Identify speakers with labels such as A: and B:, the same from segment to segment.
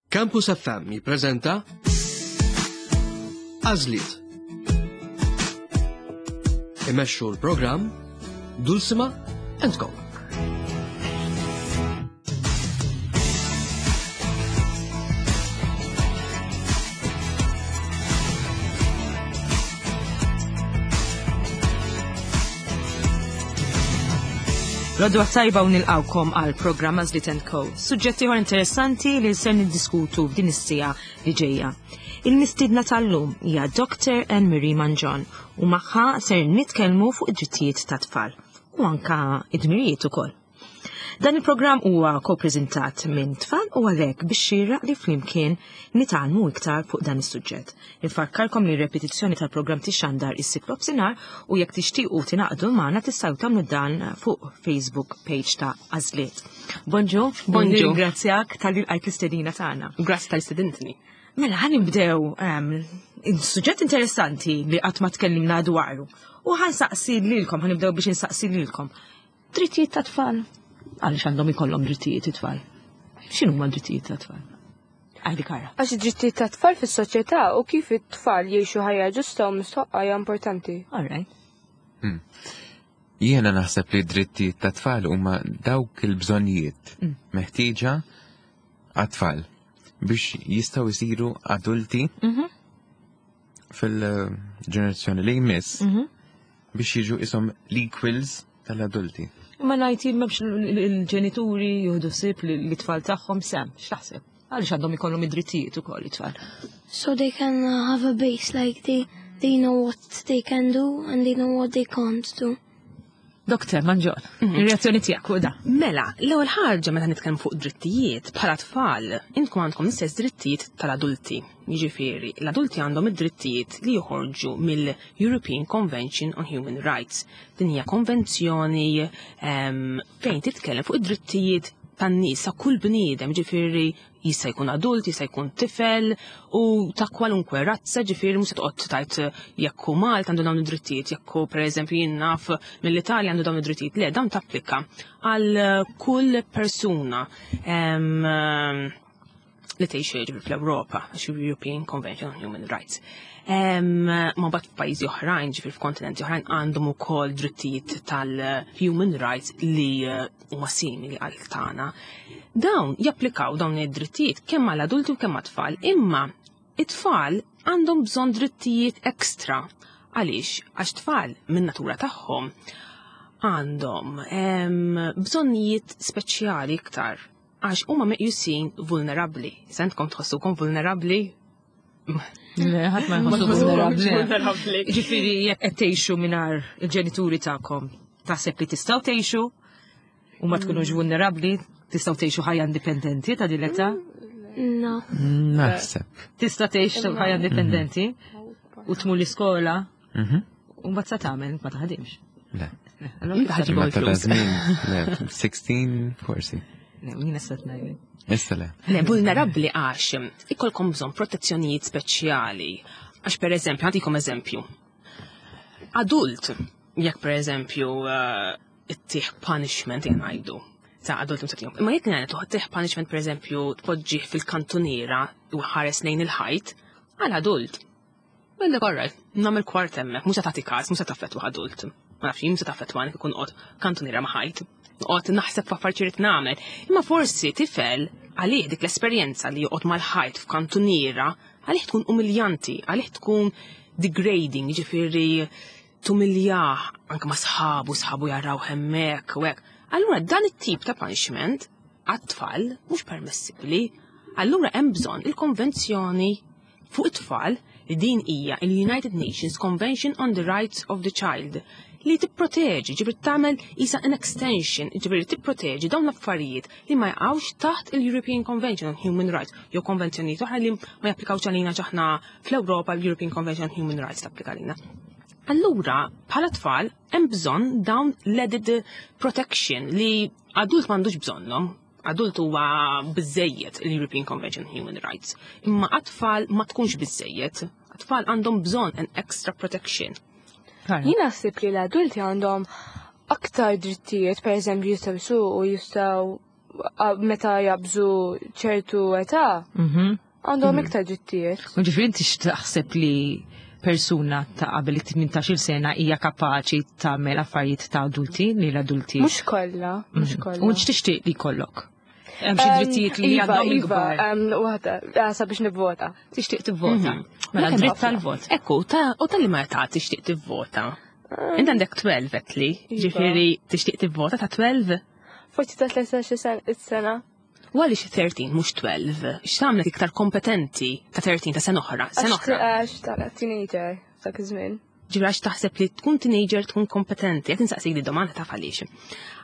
A: Campus FM jippreżenta Għażliet. Imexxu l-programm Dulcima and Co.
B: Rodwa tajba u nilqawkom għal programm Azlit Co. Suġġetti ieħor interessanti li ser niddiskutu f'din is-sija li ġejja. Il-mistiedna tal-lum hija Dr. Anne Marie Manġon u magħha ser nitkellmu fuq id-drittijiet tat-tfal u anka id-dmirijiet ukoll. Dan il-programm huwa ko-preżentat minn tfal u għalhekk biex xieraq li flimkien nitgħallmu iktar fuq dan is-suġġett. Infakkarkom li r-repetizzjoni tal-programm tixxandar is-Sibt nofsinhar u jekk tixtiequ tingħaqdu magħna tistgħu tagħmlu dan fuq Facebook page ta' Għażliet. Bonġu,
C: Bonġu.
B: Nirringrazzjak tal-li lqajt l-istedina tagħna.
C: Grazzi tal-istedintni.
B: Mela, ħan nibdew ehm, suġġett interessanti li qatt ma tkellimna dwaru. U ħan saqsi lilkom, ħan nibdew biex insaqsi lilkom. Drittijiet ta' tfal. Għaliex għandhom ikollhom drittijiet it-tfal? X'inhuma drittijiet ta' tfal? Għajdi kara.
D: Għax id-drittijiet ta' tfal fis-soċjetà u kif it-tfal jgħixu ħajja ġusta u mistħoqqa hija importanti.
B: All right.
E: Hmm. Jiena naħseb li drittijiet ta' tfal huma dawk il-bżonnijiet mm. meħtieġa għat-tfal biex jistgħu jsiru adulti mhm. fil-ġenerazzjoni li jmiss mhm. biex jiġu isom l-equals tal-adulti.
B: Ma ngħid jien m'hemmx il-ġenituri jieħdu ħsieb li tfal tagħhom sem, x'taħseb? Għaliex għandhom ikollhom id-drittijiet ukoll it-tfal.
F: So they can have a base like they they know what they can do and they know what they can't do.
B: Doktor Manġol, mhm. ir-reazzjoni tiegħek fuq da.
C: Mela, l-ewwel ħaġa meta nitkellmu fuq drittijiet bħala tfal, intkom għandkom l-istess drittijiet tal-adulti. Jiġifieri, l-adulti għandhom id-drittijiet li joħorġu mill-European Convention on Human Rights. Din hija konvenzjoni ehm, fejn titkellem fuq id-drittijiet tan-nies ta' kull bniedem, ġifieri jista' jkun adult, jista' jkun tifel u ta' kwalunkwe razza, ġifieri mhux se toqgħod tgħid jekk hu Malta għandu dawn id-drittijiet, jekk hu pereżempju jien naf mill-Italja għandu dawn id-drittijiet. Le, dawn tapplika għal kull persuna ehm, li tgħix ġifieri fl-Ewropa, għax European Convention on Human Rights. Ma bat f'pajjiżi oħrajn, ġifieri f'kontinenti oħrajn għandhom ukoll drittijiet tal-human rights li eh, huma simili għal tagħna. Dawn japplikaw dawn id-drittijiet kemm għall adulti u kemm għat-tfal, imma it-tfal għandhom bżonn drittijiet ekstra. Għaliex? Għax tfal minn natura tagħhom għandhom bżonnijiet speċjali iktar għax huma meqjusin vulnerabbli. Sentkom tħossukom vulnerabbli?
B: Le, ħadd ma jħossu vulnerabbli. Ġifieri jekk qed tgħixu mingħajr il-ġenituri tagħkom, taħseb li tistgħu tgħixu u ma tkunux mm. vulnerabbli, tistgħu tgħixu ħajja indipendenti ta' din l-età?
F: No.
E: Naħseb.
B: Tista' tgħix ħajja indipendenti u tmur l-iskola mhm. u mbagħad sa tagħmel ma taħdimx.
E: Le. Imma ta' żmien, le, 16 forsi.
B: Le, jien issa tnajli.
E: Issa le.
C: Le, vulnerabbli għax ikolkom bżonn protezzjonijiet speċjali. Għax per eżempju, għandikom eżempju. Adult, jekk per eżempju eh, ittih punishment jien ngħidu ta' adult msatijom. Imma jekk ngħidu tih punishment per eżempju tpoġġih fil-kantuniera u ħares lejn il-ħajt, għal adult Għandek all right, nagħmel kwart hemmhekk, mhux se tagħti każ, mhux se taffettwa adult. Ma nafx, jien se taffettwani kif noqgħod kantuniera ma' ħajt. Noqgħod naħseb f'affarijiet irid nagħmel. Imma forsi tifel għalih dik l-esperjenza li joqgħod mal-ħajt f'kantuniera, għalih tkun umiljanti, għalih tkun degrading, ġifieri tumiljah anke ma' sħabu, sħabu jaraw hemmhekk u hekk. Allura dan it-tip ta' punishment għat-tfal mhux permessibbli. Allura hemm bżonn il-konvenzjoni fuq it-tfal li din hija il-United Nations Convention on the Rights of the Child li tipproteġi, ġifieri tagħmel isa an extension, ġifieri tipproteġi dawn l-affarijiet li ma jaqgħux taħt il-European Convention on Human Rights jew konvenzjonijiet oħra li ma japplikawx għalina ġaħna fl-Ewropa l-European Convention on Human Rights tapplika għalina. Allura, bħala tfal, hemm bżonn dawn l-added protection li adult m'għandux bżonnhom adult huwa biżejjed l-European Convention on Human Rights. Imma għat-tfal ma tkunx biżejjed. Għat-tfal għandhom bżonn an extra protection.
D: Jien naħseb li l-adulti għandhom aktar drittijiet, per eżempju, jistgħu jsuqu, jistgħu. meta jabżu ċertu età għandhom iktar drittijiet.
B: U ġifieri inti x'taħseb li persuna ta' qabel it-18 sena hija kapaċi tagħmel affarijiet ta' adulti li l-adulti.
D: Mhux kollha, mhux kollha.
B: U x'tixtieq li jkollok? Hemm xi drittijiet li
D: Iva,
B: għandhom
D: Iva,
B: il-kbar.
D: waħda, sabiex nivvota.
B: Tixtieq tivvota. Mela
C: Kemm
B: dritt
C: ħafna.
B: tal-vot.
C: Ekku, u tal-li ma ta' tixtieq tivvota. Inti għandek 12 etli,
D: Iva.
C: ġifieri tixtieq tivvota ta' 12?
D: Forsi ta' 13 sena.
C: U għaliex 13 mhux 12? X'tagħmlek iktar kompetenti ta' 13 ta' sena oħra, sena oħra.
D: Għax ta' teenager dak iż-żmien.
C: Ġifieri għax taħseb li tkun teenager tkun kompetenti, qed insaqsik di domanda taf għaliex.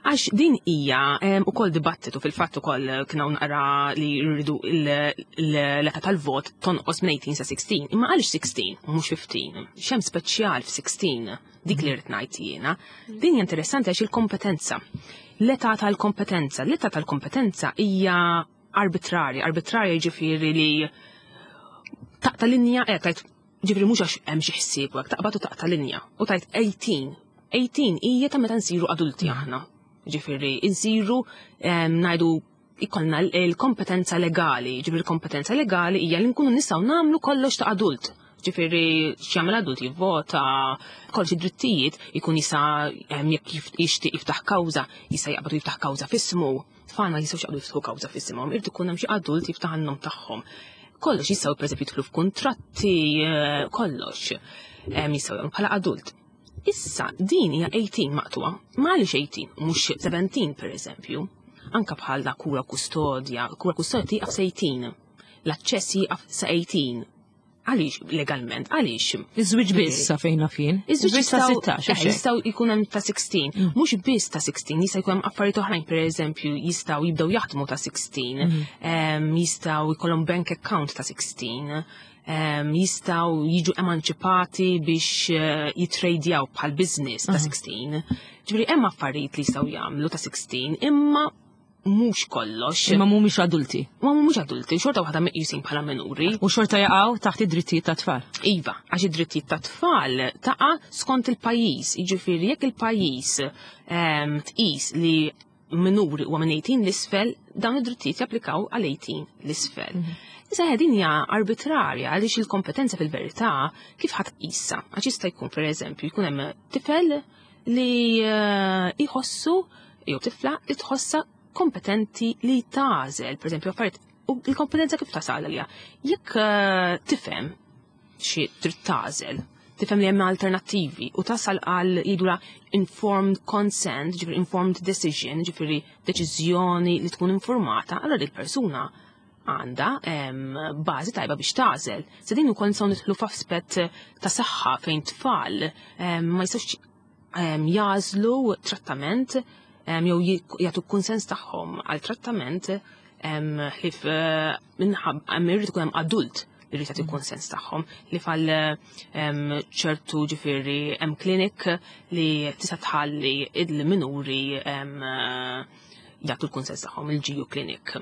C: Għax din hija ukoll dibattitu fil-fatt ukoll kien hawn naqra li jridu l-età tal-vot tonqos minn 18 sa 16. Imma għaliex 16 u mhux 15? X'hemm speċjal f'16? Dik li rrid ngħid jiena. Din hija interessanti għax il-kompetenza. L-età tal-kompetenza, l-età tal-kompetenza hija arbitrarja, arbitrarja ġifieri li taqta' linja, tajt ġifieri mhux għax hemm xi ħsieb u hekk, taqbad u taqta' linja u tajt 18. 18 hija ta' meta nsiru adulti aħna. Ġifieri nsiru ngħidu ikollna l-kompetenza legali, ġifieri l-kompetenza legali hija li nkunu nistgħu nagħmlu kollox ta' adult. Ġifieri x'jagħmel adult jivvota, kollox id-drittijiet ikun jista' jekk jixtieq jiftaħ kawża, jista' jaqbad u jiftaħ kawża f'ismu. Tfal ma jistgħux jaqbdu jiftħu kawża f'isimhom, irid ikun hemm xi adult jiftaħ għan-nom tagħhom. Kollox jistgħu pereżempju jidħlu f'kuntratti, kollox. Jistgħu jagħmlu bħala adult. Issa din hija 18 maqtuwa, ma għaliex 18, mhux 17 pereżempju. Anka bħal da kura kustodja, kura kustodja tieqaf sa 18. L-aċċess jieqaf sa 18. Għaliex legalment, għaliex?
B: Iż-żwieġ biss sa fejn naf jien.
C: Iż-żwieġ
B: sa 16, hux hekk?
C: Jistgħu jkun hemm ta' 16, mhux biss ta' 16, jista' jkun hemm affarijiet oħrajn, pereżempju, jistgħu jibdew jaħdmu ta' 16, jistgħu jkollhom bank account ta' 16, jistgħu jiġu emanċipati biex jitrejdjaw bħal business ta' 16. Ġifieri hemm affarijiet li jistgħu jagħmlu ta' 16, imma mhux kollox.
B: Imma mhumiex adulti.
C: Ma mhumiex adulti, xorta waħda meqjusin bħala minuri.
B: U xorta jaqgħu taħt id-drittijiet ta' tfal.
C: Iva, għax id-drittijiet ta' tfal taqa' skont il-pajjiż. Jiġifieri jekk il-pajjiż tqis li minuri huwa minn 18 l-isfel, dawn id-drittijiet japplikaw għal 18 l-isfel. Issa din hija arbitrarja għaliex il-kompetenza fil-verità kif ħadd tqisha. Għax jista' jkun pereżempju jkun hemm tifel li jħossu jew tifla li tħossha kompetenti li tagħżel, pereżempju affarijiet, u l-kompetenza kif tasal għalija. Jekk tifhem xi trid tagħżel, tifhem li hemm alternattivi u tasal għal jgħidula informed consent, ġifieri informed decision, ġifieri deċiżjoni li tkun informata, allura dik persuna għandha bażi tajba biex tagħżel. Se din ukoll nistgħu nidħlu f'aspett ta' saħħa fejn tfal ma jistgħux jagħżlu trattament jew jagħtu kunsens tagħhom għal trattament ħlif minħabba irid ikun hemm adult li jrid jagħti kunsens tagħhom li fal ċertu ġifieri hemm klinik li tista' tħalli il-minuri jagħtu l-kunsens tagħhom, il-GU clinic.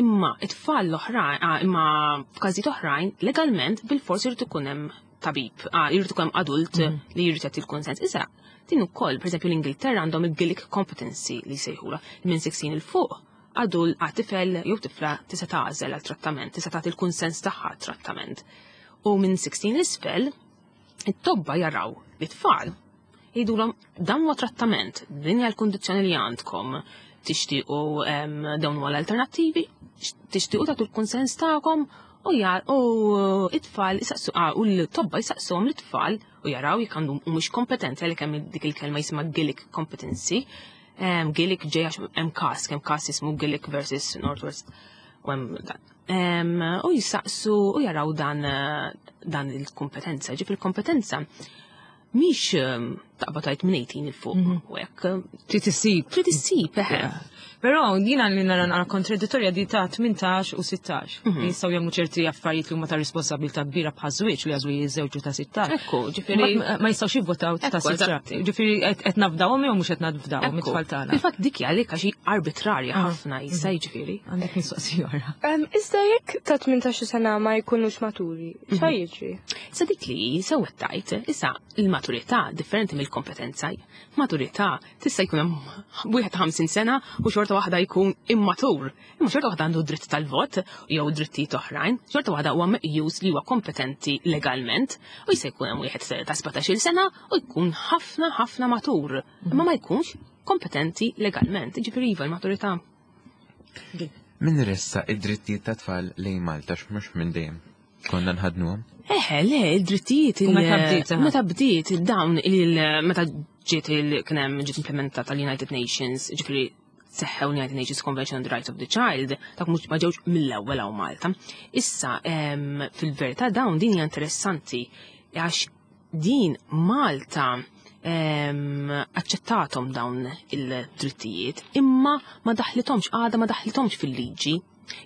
C: Imma it-tfal l-oħrajn, imma f'każijiet oħrajn, legalment bil-fors irid ikun hemm tabib, irid ikun hemm adult li jrid jagħti l-kunsens. Issa, din ukoll, pereżempju l-Ingilterra għandhom il-Gillick competency li jsejħula minn 16 il fuq, adult għat tifel jew tifla tista' tagħżel għal trattament, tista' tagħti l-kunsens tagħha għal trattament. U minn 16 isfel, it-tobba jaraw li tfal jgħidulhom dan huwa trattament, din hija l-kundizzjoni li għandkom, tixtiequ dawn huwa l-alternattivi, tixtiequ tagħtu l-kunsens tagħkom u u it-tfal jisaqsu, u l-tobba jisaqsuhom l-tfal u jaraw jekk għandhom mhux kompetenti għalhekk hemm dik il-kelma jisimha Gillick competency. Gillick ġej għax hemm każ, kemm każ jismu Gillick versus Northwest u hemm dan. U jisaqsu u jaraw dan il-kompetenza. Ġifieri il-kompetenza mhix taqbad tgħid minn 18 il fuq u hekk.
B: Trid issib.
C: Trid issib, eħe.
B: Però jiena li nara naqra kontradittorja di ta' 18 u 16. Jistgħu jagħmlu ċerti affarijiet li huma ta' responsabilità kbira bħal żwieġ li jagħżlu jiżżewġu ta' 16.
C: Ekku, ġifieri
B: Ma jistgħux jivvotaw ta'
C: Ekku,
B: 16.
C: eżatti.
B: Ġifieri qed nafdawhom jew mhux qed nafdawhom
C: Ekku.
B: it-tfal tagħna.
C: Fil-fatt dik hija għalhekk għax hi arbitrarja ħafna jista' jiġifieri.
B: Għandek mistoqsija oħra.
D: Iżda jekk ta' 18 sena ma jkunux maturi, x'ha jiġri?
C: Sa dik li sewwa tajt, issa il-maturità differenti mill-kompetenza. Maturità tista' jkun hemm wieħed 50 sena u xorta xorta waħda jkun immatur. Imma xorta waħda għandu dritt tal-vot jew drittijiet oħrajn, xorta waħda huwa meqjus li huwa kompetenti legalment u jista' jkun hemm wieħed ta' 17-il sena u jkun ħafna ħafna matur, imma ma jkunx kompetenti legalment. Ġifieri iva l-maturità.
E: Min ressaq id-drittijiet ta' tfal lejn Malta x'mhux minn dejjem konna nħadnuhom?
C: Eħe, le, id-drittijiet.
B: U meta bdiet, aha.
C: Meta bdiet dawn il meta ġiet il kien hemm ġiet implementata l-United Nations, ġifieri seħħew United Nations Convention on the Rights of the Child, dak mhux ma ġewx mill-ewwel hawn Malta. Issa fil-verità dawn din hija interessanti għax din Malta aċċettathom dawn il-drittijiet, imma ma daħlithomx għadha ma daħlithomx fil-liġi.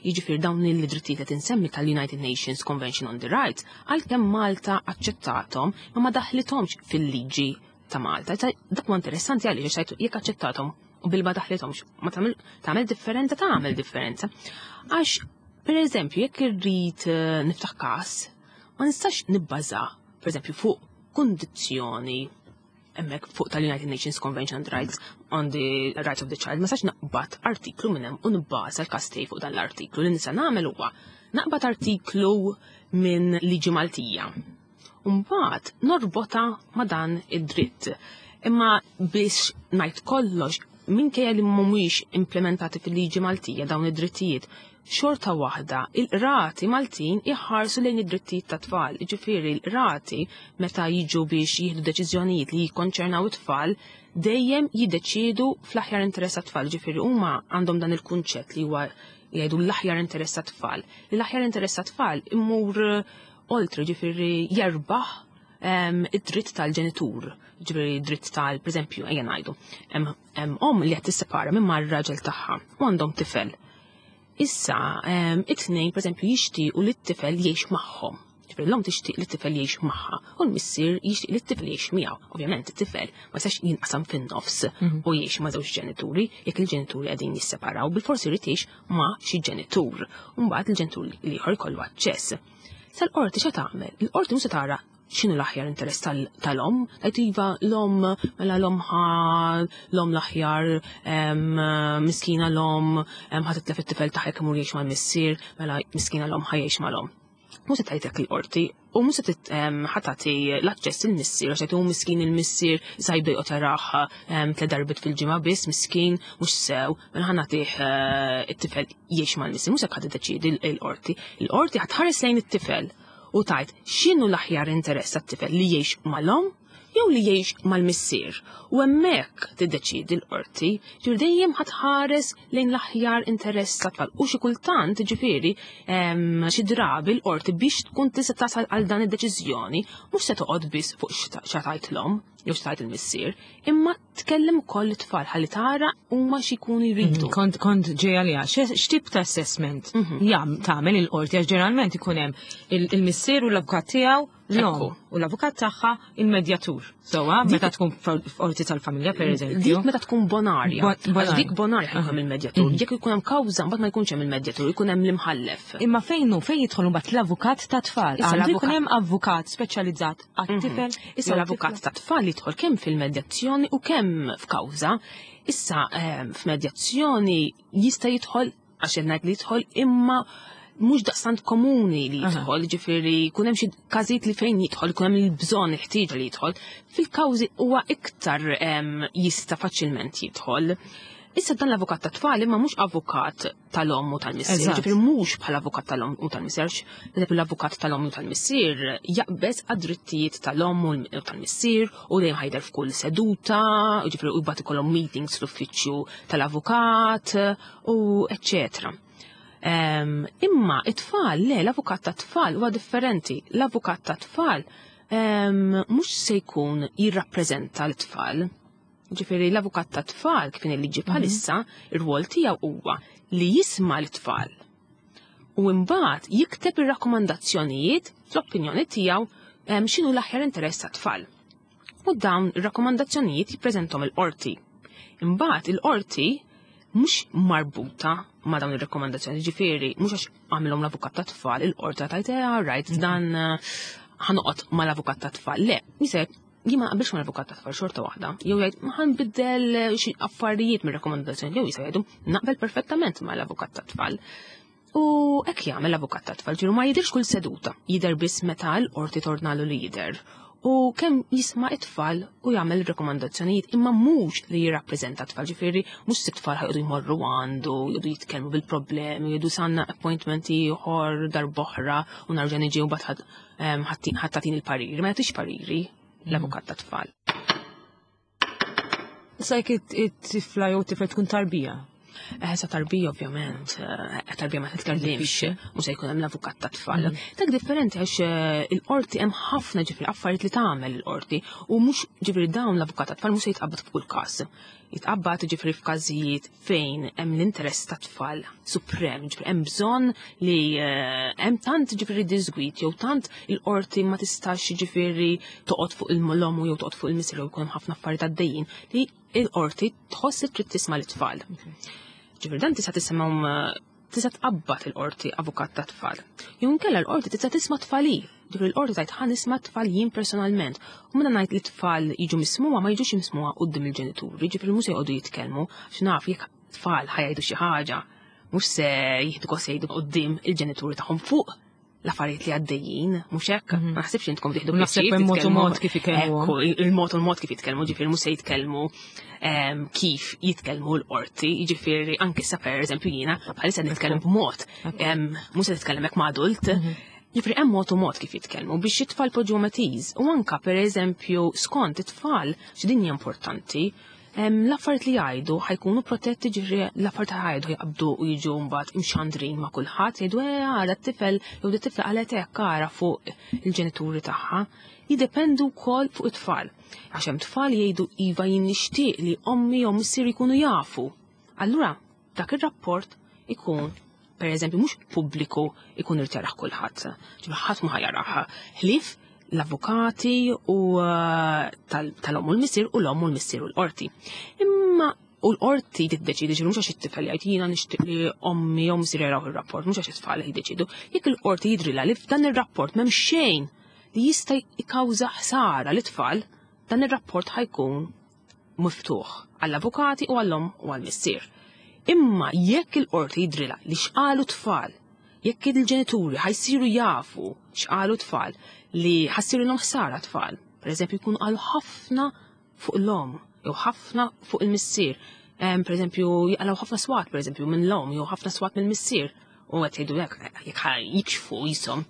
C: Jiġifieri dawn il-drittijiet qed insemmi tal-United Nations Convention on the Rights, għalkemm Malta aċċettathom, ma ma daħlithomx fil-liġi ta' Malta. Dak huwa interessanti għaliex għax jekk aċċettathom u bil ma daħlithomx, ma tagħmel differenza, tagħmel differenza. Għax, per eżempju, jekk irrid niftaħ każ, ma nistax nibbaża, per eżempju, fuq kundizzjoni hemmhekk fuq tal-United Nations Convention on the Rights on the Rights of the Child, ma nistax naqbad artiklu minn hemm u nibbaża l-każ tiegħi fuq dan l-artiklu. Li nista' nagħmel huwa naqbad artiklu minn liġi Maltija. U mbagħad norbota ma' dan id-dritt. Imma biex ngħid kollox, minkejja li mhumiex implementati fil-liġi Maltija dawn id-drittijiet, xorta waħda il-qrati Maltin iħarsu lejn id-drittijiet ta' tfal. Ġifieri l-qrati meta jiġu biex jieħdu deċiżjonijiet li jikkonċernaw it-tfal dejjem jiddeċiedu fl-aħjar interess tat-tfal. Ġifieri huma għandhom dan il-kunċett li huwa jgħidu l-aħjar interess tat-tfal. L-aħjar interess tat-tfal imur oltre, ġifieri jerbaħ id-dritt tal-ġenitur, ġifieri dritt tal, per eżempju, ejja ngħidu, hemm omm li qed tissepara minn mar-raġel tagħha u għandhom tifel. Issa, it-tnejn, per eżempju, jixtiequ li t-tifel jgħix magħhom. Ġifieri l-omm tixtieq li t-tifel jgħix magħha u l-missier jixtieq li t-tifel jgħix miegħu. Ovvjament it-tifel ma jistax jinqasam fin-nofs u jgħix ma' żewġ ġenituri jekk il-ġenituri qegħdin jisseparaw, bilforsi jrid jgħix ma' xi ġenitur. U mbagħad il-ġenitur l-ieħor jkollu aċċess. Sal-qorti x'għad tagħmel? Il-qorti mhux se tara x'inhu l-aħjar interess tal-omm, tgħid iva l-omm, mela l-omm ħa l-omm l-aħjar, miskina l-omm, ħa titlef it-tifel tagħha jekk imur jgħix mal-missier, mela miskina l-omm ħa jgħix mal-omm. Mhux se tgħid hekk il-qorti, u mhux se ħa tagħti l-aċċess il-missier, għax tgħid hu miskin il-missier, issa jibda joqgħod jarah tliet darbiet fil-ġimgħa biss, miskin, mhux sew, mela ħa nagħtih it-tifel jgħix mal-missier. Mhux hekk ħa tiddeċiedi l-qorti. Il-qorti ħa tħares lejn it-tifel u tgħid x'inhu l-aħjar interess tat-tifel li jgħix mal-omm jew li jgħix mal-missier. U hemmhekk tiddeċiedi l-qorti, ġifieri dejjem ħa tħares lejn l-aħjar interess tat-tfal. U xi kultant, ġifieri, xi drabi l-qorti biex tkun tista' tasal għal dan id-deċiżjoni mhux se toqgħod biss fuq x'għatajt l-omm jew x'tajt il-missier, imma tkellem ukoll it-tfal ħalli tara huma x'ikunu jridu.
B: Kont ġejja li x'tip ta' assessment jam tagħmel il-qorti, għax ġeneralment ikun hemm il-missier u l-avukat tiegħu l-omm u l-avukat tagħha il-medjatur. Sewwa, meta tkun f'qorti tal-familja, per eżempju.
C: Dik meta tkun bonarja. Għax
B: Bonarja.
C: dik bonarja ħajkun hemm il-medjatur. Jekk ikun hemm kawża, mbagħad ma jkunx hemm il-medjatur, ikun hemm l-imħallef.
B: Imma fejn jidħol mbagħad l-avukat ta' tfal?
C: Issa
B: Għandu
C: l-avukat
B: jkun hemm avukat speċjalizzat għat-tifel?
C: Issa
B: jew
C: l-avukat
B: tifla?
C: ta' tfal jidħol kemm fil-medjazzjoni u kemm f'kawża. Issa f'medjazzjoni jista' jidħol, għax qed ngħid li jidħol, imma mhux daqstant komuni li jidħol, ġifieri jkun hemm xi każijiet li fejn jidħol, jkun hemm il-bżonn, il-ħtieġa li jidħol. Fil-kawżi huwa iktar jista' faċilment jidħol. Issa dan l-avukat ta' tfal imma mhux avukat tal-omm u tal-missier, ġifieri mhux bħala avukat tal-omm u tal-missier, għax pereżempju l-avukat tal-omm u tal-missier jaqbeż għad-drittijiet tal-omm u tal-missier u dejjem ħajder f'kull seduta, ġifieri u jbagħad ikollhom meetings fl-uffiċċju tal-avukat u eċċetera. Imma it-tfal, le, l-avukat ta' tfal huwa differenti. L-avukat ta' tfal mhux se jkun jirrappreżenta l-tfal. Ġifieri l-avukat ta' tfal kif il-liġi bħalissa, ir-rwol tiegħu huwa li jisma' l-tfal. U mbagħad jikteb ir-rakkomandazzjonijiet fl-opinjoni tiegħu x'inhu l-aħjar interess tat-tfal. U dawn ir-rakkomandazzjonijiet jippreżenthom il-qorti. Imbagħad il-qorti mhux marbuta ma' dawn ir-rakkomandazzjoni, ġifieri mhux għax għamilhom l-avukat ta' tfal, il-qorti tgħid, all right, dan ħanoqgħod mal-avukat ta' tfal. Le, jisek Jien ma naqbilx mal-avukat ta' tfal xorta waħda, jew jgħid ma ħanbiddel xi affarijiet mir-rakkomandazzjoni jew jista' jgħidu naqbel perfettament mal-avukat ta' tfal. U hekk jagħmel l-avukat ta' tfal ġiru ma jidhirx kull seduta, jidher biss meta l-qorti tornalu li jidher. U kemm jisma' it-tfal u jagħmel rekomandazzjonijiet imma mhux li jirrappreżenta t-tfal, ġifieri mhux se tfal ħajqdu jmorru għandu, jgħidu jitkellmu bil-problemi, jgħidu sanna appointment ieħor darb'oħra u narġa' niġi u mbagħad ħadd tagħtini l-pariri, ma jagħtix pariri l-avukat ta' tfal.
B: Issa jekk it-tifla jew tifel tkun tarbija.
C: Eh, sa tarbija ovvjament, eh, tarbija ma titkellimx, mhux se jkun hemm l-avukat ta' tfal. Dak differenti għax eh, il-qorti hemm ħafna ġifieri affarijiet li tagħmel il-qorti u mhux ġifieri dawn l-avukat ta' tfal mhux se jitqabbad f'kull każ. Jitqabbad ġifieri f'każijiet fejn hemm l-interess ta' tfal suprem, ġifieri hemm bżonn li eh, hemm tant ġifieri disgwit jew tant il-qorti ma tistax ġifieri toqgħod fuq il-lomu jew toqgħod fuq il-missier jew jkun hemm ħafna affarijiet għaddejjin li il-qorti tħoss li trid tisma' l-tfal. Ġifieri dan tista' tisimgħu eh, tista' tqabbad il-qorti avukat ta' tfal. Jew inkella l-qorti tista' tisma' tfali. Ġifieri l-qorti tgħid ħa nisma' tfal jien personalment. U meta ngħid li tfal jiġu mismuha ma jiġux mismuha quddiem il-ġenituri, ġifieri mhux se jqogħdu jitkellmu għax naf jekk tfal ħa jgħidu xi ħaġa mhux se jieħdu gost jgħidu quddiem il-ġenituri tagħhom fuq l-affarijiet li għaddejjin, mhux hekk, mhm. ma naħsibx intkom tieħdu
B: Naħseb hemm mod u mod kif ikellmu.
C: Il-mod u l-mod kif jitkellmu, ġifieri mhux se jitkellmu ehm, kif jitkellmu l-qorti, jiġifieri anke sa pereżempju jiena bħalissa nitkellem b'mod, ehm, mhux se nitkellem hekk ma' adult. Mhm. Ġifieri hemm mod u mod kif jitkellmu biex it-tfal poġġu ease u anka pereżempju skont it-tfal x'din hija importanti, L-affarijiet li jgħidu ħajkunu protetti ġifieri l-affarijiet ħajdu jaqbdu u jiġu mbagħad imxandrin ma' kulħadd jgħidu eh għara t-tifel jew t-tifla qalet hekk ara fuq il-ġenituri tagħha. Jiddependu wkoll fuq it-tfal. Għax hemm tfal jgħidu iva jien nixtieq li ommi jew missieri jkunu jafu. Allura dak ir-rapport ikun per eżempju mhux pubbliku ikun irid jarah kulħadd. Ġifieri ħadd ma ħajarah. Ħlief l-avukati u eh, tal-omm u l-missier u l-omm u l-missier u l-qorti. Imma u l-qorti tiddeċidi ġifieri mhux għax it-tifel jgħid jiena nixtieq li ommi jew missier jaraw ir-rapport, mhux għax it-tfal jiddeċidu. Jekk il-qorti jidrilha li f'dan ir-rapport m'hemm xejn li jista' jikkawża ħsara lit-tfal, dan ir-rapport ħajkun miftuħ għall-avukati u għall-omm u għall-missier. Imma jekk il-qorti jidrilha li x'qalu tfal, jekk il-ġenituri ħajsiru jafu x'qalu tfal li ħassirilhom ħsara tfal, pereżempju jkunu qalu ħafna fuq l-omm jew ħafna fuq il-missier. Per eżempju, jaqalaw ħafna swat, per eżempju, minn l-omm jew ħafna swat mill-missier. U qed jgħidu hekk jekk jikxfu jisom.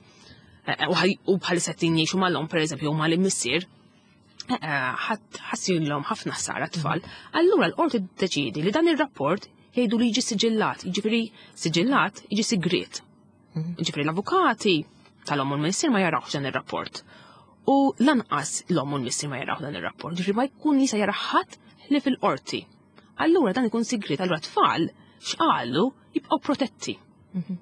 C: Eh, eh, u bħalissa qed jgħixu mal-omm, per eżempju, u mal-missier, ħassirlhom ħafna ħsara tfal, allura l-qorti tiddeċiedi li dan ir-rapport jgħidu li jiġi siġillat, jiġifieri siġillat jiġi sigriet. Mhm. Jiġifieri l-avukati tal-omm u l-missier ma jarawx dan ir-rapport. U lanqas l-omm u l-missier ma jaraw dan ir-rapport, ġifieri ma jkun jista' jara ħadd li fil-qorti. Allura dan ikun sigriet, allura tfal x'qalu jibqgħu protetti.
B: Mhm.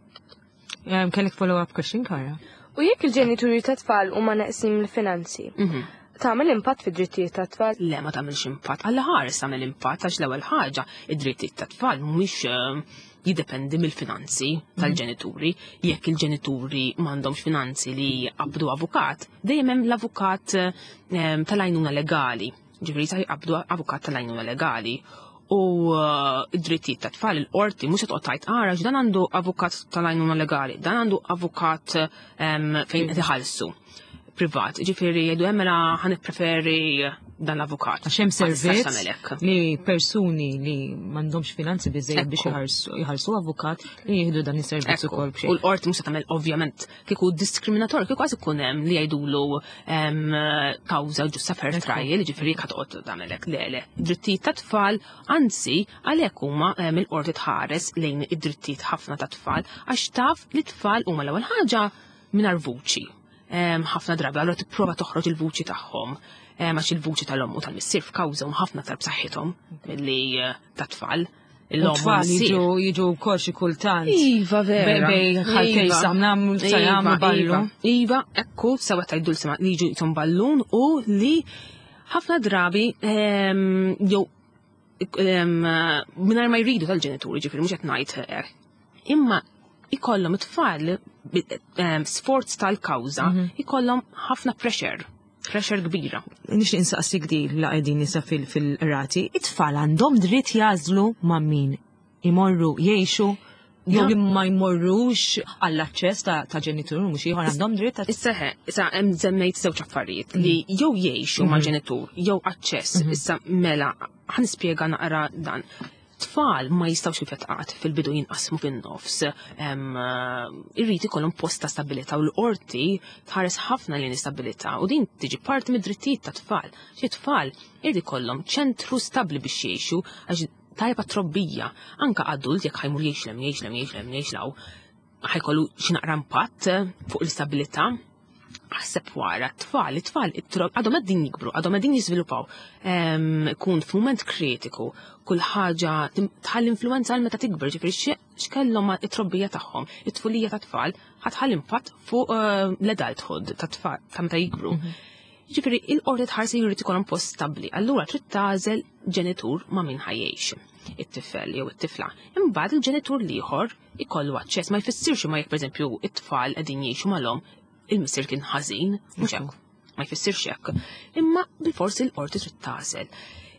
B: Kellek follow-up question, Kara?
D: U jekk il-ġenituri ta' tfal huma neqsin mill-finanzi, mhm. tagħmel impatt fid-drittijiet ta' tfal?
C: Le, ma tagħmilx impatt. Alla ħares tagħmel impatt għax l-ewwel ħaġa id-drittijiet ta' tfal mhumiex eh, jiddependi mill-finanzi mhm. tal-ġenituri. Jekk il-ġenituri m'għandhomx finanzi li jqabdu avukat, dejjem hemm l-avukat eh, tal-għajnuna legali. Ġifieri sa jqabdu avukat tal-għajnuna legali u eh, id-drittijiet ta' tfal il-qorti mhux se toqgħod tgħid ara dan għandu avukat tal-għajnuna legali, dan għandu avukat ehm, fejn qed iħallsu privat. Ġifieri jgħidu hemm mela ħa nippreferi dan l-avukat.
B: Għax hemm servizz li persuni li m'għandhomx finanzi biżejjed biex jħallsu avukat li jieħdu dan is-servizz ukoll
C: b'xejn. U l-qorti mhux se tagħmel ovvjament kieku diskriminatorju, kieku għaz ikun hemm li jgħidulu kawża ġusta fair trial, ġifieri jekk toqgħod tagħmel hekk le le. Drittijiet ta' tfal, anzi għalhekk huma il-qorti tħares lejn id-drittijiet ħafna ta' tfal għax taf li tfal huma l-ewwel ħaġa mingħajr vuċi. Ħafna drabi allura tipprova toħroġ il-vuċi tagħhom għax il-vuċi tal-omm u tal-missier f'kawża huma ħafna aktar b'saħħithom milli eh, ta' tfal.
B: L-tfal jiġu jiġu wkoll xi kultant.
C: Iva vera.
B: Bej ħaltej iva. samna sajam iva, ballu.
C: Iva, iva ekku sewa tajdu l-sema li jiġu jitom ballun u li ħafna drabi ehm, jew ehm, mingħajr ma jridu tal-ġenituri, ġifieri mhux qed ngħid eh, imma ikollhom it-tfal ehm, sforz tal-kawża mhm. ikollhom ħafna pressure. Pressure kbira.
B: Nixtieq insaqsik di la qegħdin nisa fil-qrati, it-tfal għandhom dritt jażlu ma' min imorru jgħixu jew li ma jmorrux għall-aċċess ta' ġenitur mhux ieħor għandhom dritt ta'
C: Issa he, issa hemm żemmejt żewġ affarijiet li jew jgħixu ma' ġenitur jew aċċess. Issa mela ħa nispjega naqra dan. Tfal ma jistgħux kif qed fil-bidu jinqasmu fin-nofs. Irrid ikollhom post ta' stabilità u l-qorti tħares ħafna lejn istabilità u din tiġi parti mid-drittijiet ta' tfal. Xi tfal irid ikollhom ċentru stabbli biex jgħixu għax tajba trobbija. Anka adult jekk ħa jmur jgħix 'l hemm, jgħix 'l hemm, jgħix 'l hemm, jgħix 'l hawn, ħa jkollu xi naqra impatt fuq l-istabilità. Aħseb wara, t-tfal, it-tfal, għadhom qegħdin jikbru, għadhom qegħdin jiżviluppaw. Ikun f'mument kritiku, kull ħaġa tħalli influenza għal meta tikber, ġifieri x'kellhom it-trobbija tagħhom, it-tfulija ta' tfal, ħa tħalli impatt fuq l-adulthood ta' tfal ta' meta jikbru. Ġifieri il-qorti tħarsi jrid ikollhom post stabbli, allura trid tagħżel ġenitur ma' min ħa jgħix it-tifel jew it-tifla. Imbagħad il-ġenitur l-ieħor ikollu aċċess, ma jfissirx ma jekk pereżempju it-tfal qegħdin jgħixu mal-omm, il-missier kien ħażin, mhux hekk, ma jfissirx hekk. Imma bilforsi l-qorti trid tagħżel.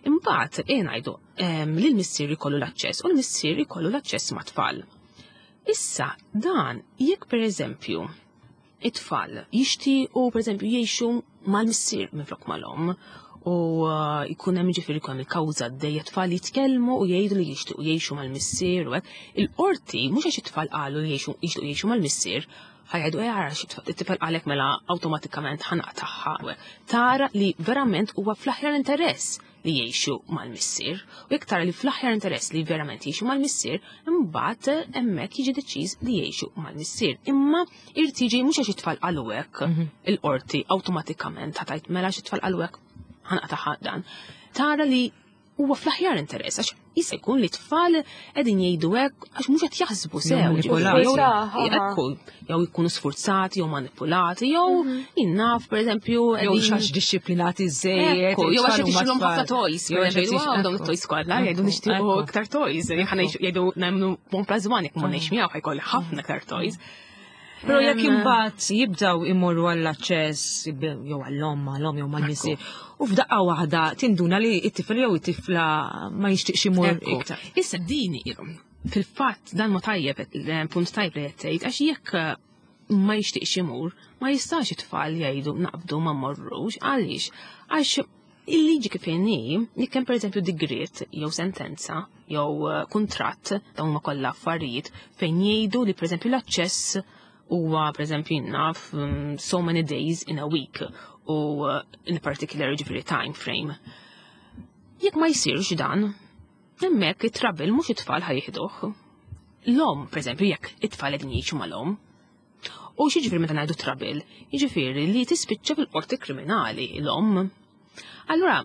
C: Imbagħad ejja ngħidu li l-missier ikollu l-aċċess u l-missier ikollu l-aċċess mat-tfal. Issa dan jekk pereżempju it-tfal jixtiequ pereżempju jgħixu mal-missier minflok mal-omm u jkun hemm ġifieri jkun hemm il-kawża għaddejja tfal jitkellmu u jgħidu li jixtiequ jgħixu mal-missier u hekk. Il-qorti mhux għax it-tfal qalu li jixtiequ jgħixu mal-missier, ħa jgħidu ejja ara xi it-tifel qalek mela awtomatikament ħa naqtagħha u hekk. Tara li verament huwa fl-aħjar interess li jgħixu mal-missier u jekk tara li fl-aħjar interess li verament jgħixu mal-missier, imbagħad hemmhekk jiġi deċiż li jgħixu mal-missier. Imma irid jiġi mhux għax it-tfal qalu hekk, il-qorti awtomatikament ħa tgħid mela għax it-tfal qalu hekk ħa naqtagħha dan. Tara li huwa fl-aħjar interess għax jista' jkun li tfal qegħdin jgħidu hekk għax mhux qed jaħsbu sew,
B: Jew
C: ġifieri,
B: manipulati.
C: jew jkunu sfurzati jew manipulati jew jinnaf pereżempju
B: Jew
C: qegħdin
B: xax dixxiplinati żejjed,
C: Ekku, jew għax
B: it-tfal
C: qed
B: huma
C: ixtrilhom ħafna
B: tfal.
C: toys,
B: Jew għax
C: pereżempju,
B: qed
C: wow, dawn it-toys kollha, jgħidu nixtiequ iktar toys, ħana jgħidu nagħmlu 1 plus 1 jekk ma ngħix miegħu ħa jkolli ħafna iktar toys.
B: Però jekk imbagħad jibdew imorru għall-aċċess jew għall-omm, għall-omm jew mal-missier, u f'daqqa waħda tinduna li t-tifel jew it-tifla ma jixtieqx imur iktar.
C: Issa din fil-fatt dan ma tajjeb, punt tajjeb li qed tgħid, għax jekk ma jixtieqx imur, ma jistax it-tfal jgħidu naqbdu ma mmorrux, għaliex? Għax il-liġi kif inhi, jekk hemm pereżempju digriet jew sentenza jew kuntratt, dawn huma kollha affarijiet fejn jgħidu li pereżempju l-aċċess huwa pereżempju naf so many days in a week u in particular ġifieri time frame. Jekk ma jsirx dan, hemmhekk it-trouble mhux it-tfal ħa jieħduh. L-omm, pereżempju, jekk it-tfal qegħdin jgħixu mal-omm, u x'jiġifieri meta ngħidu trouble? Jiġifieri li tispiċċa fil-qorti kriminali l-omm. Allura,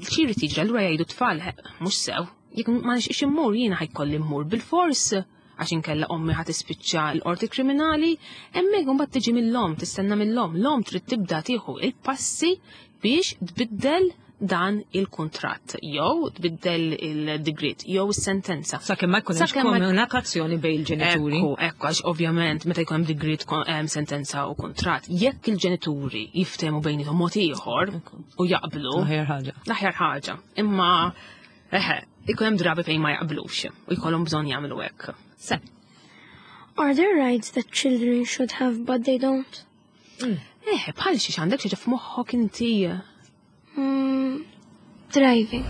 C: xi jrid jiġri? Allura jgħidu tfal, mhux sew, jekk ma nixtieqx immur jiena ħa jkolli mmur bil-fors għax inkella ommi ħa tispiċċa l-qorti kriminali, hemmhekk imbagħad tiġi mill-omm, tistenna mill-omm, l-omm trid tibda tieħu il-passi biex tbiddel dan il-kuntratt, jew tbiddel il-digriet, jew is-sentenza.
B: Sakemm ma jkun hemmx
C: Sakemm ma
B: komunikazzjoni bejn il-ġenituri.
C: Ekku, ekku, għax ovvjament meta jkun hemm digriet sentenza u kuntratt, jekk il-ġenituri jiftehmu bejniethom mod ieħor u jaqblu,
B: L-aħjar ħaġa.
C: L-aħjar ħaġa. Imma eħe, ikun hemm drabi fejn ma jaqblux u jkollhom bżonn jagħmlu hekk.
B: Se.
F: Are there rights that children should have but they don't?
C: Eħe, bħal xi għandek xi f'moħħok inti.
F: Driving.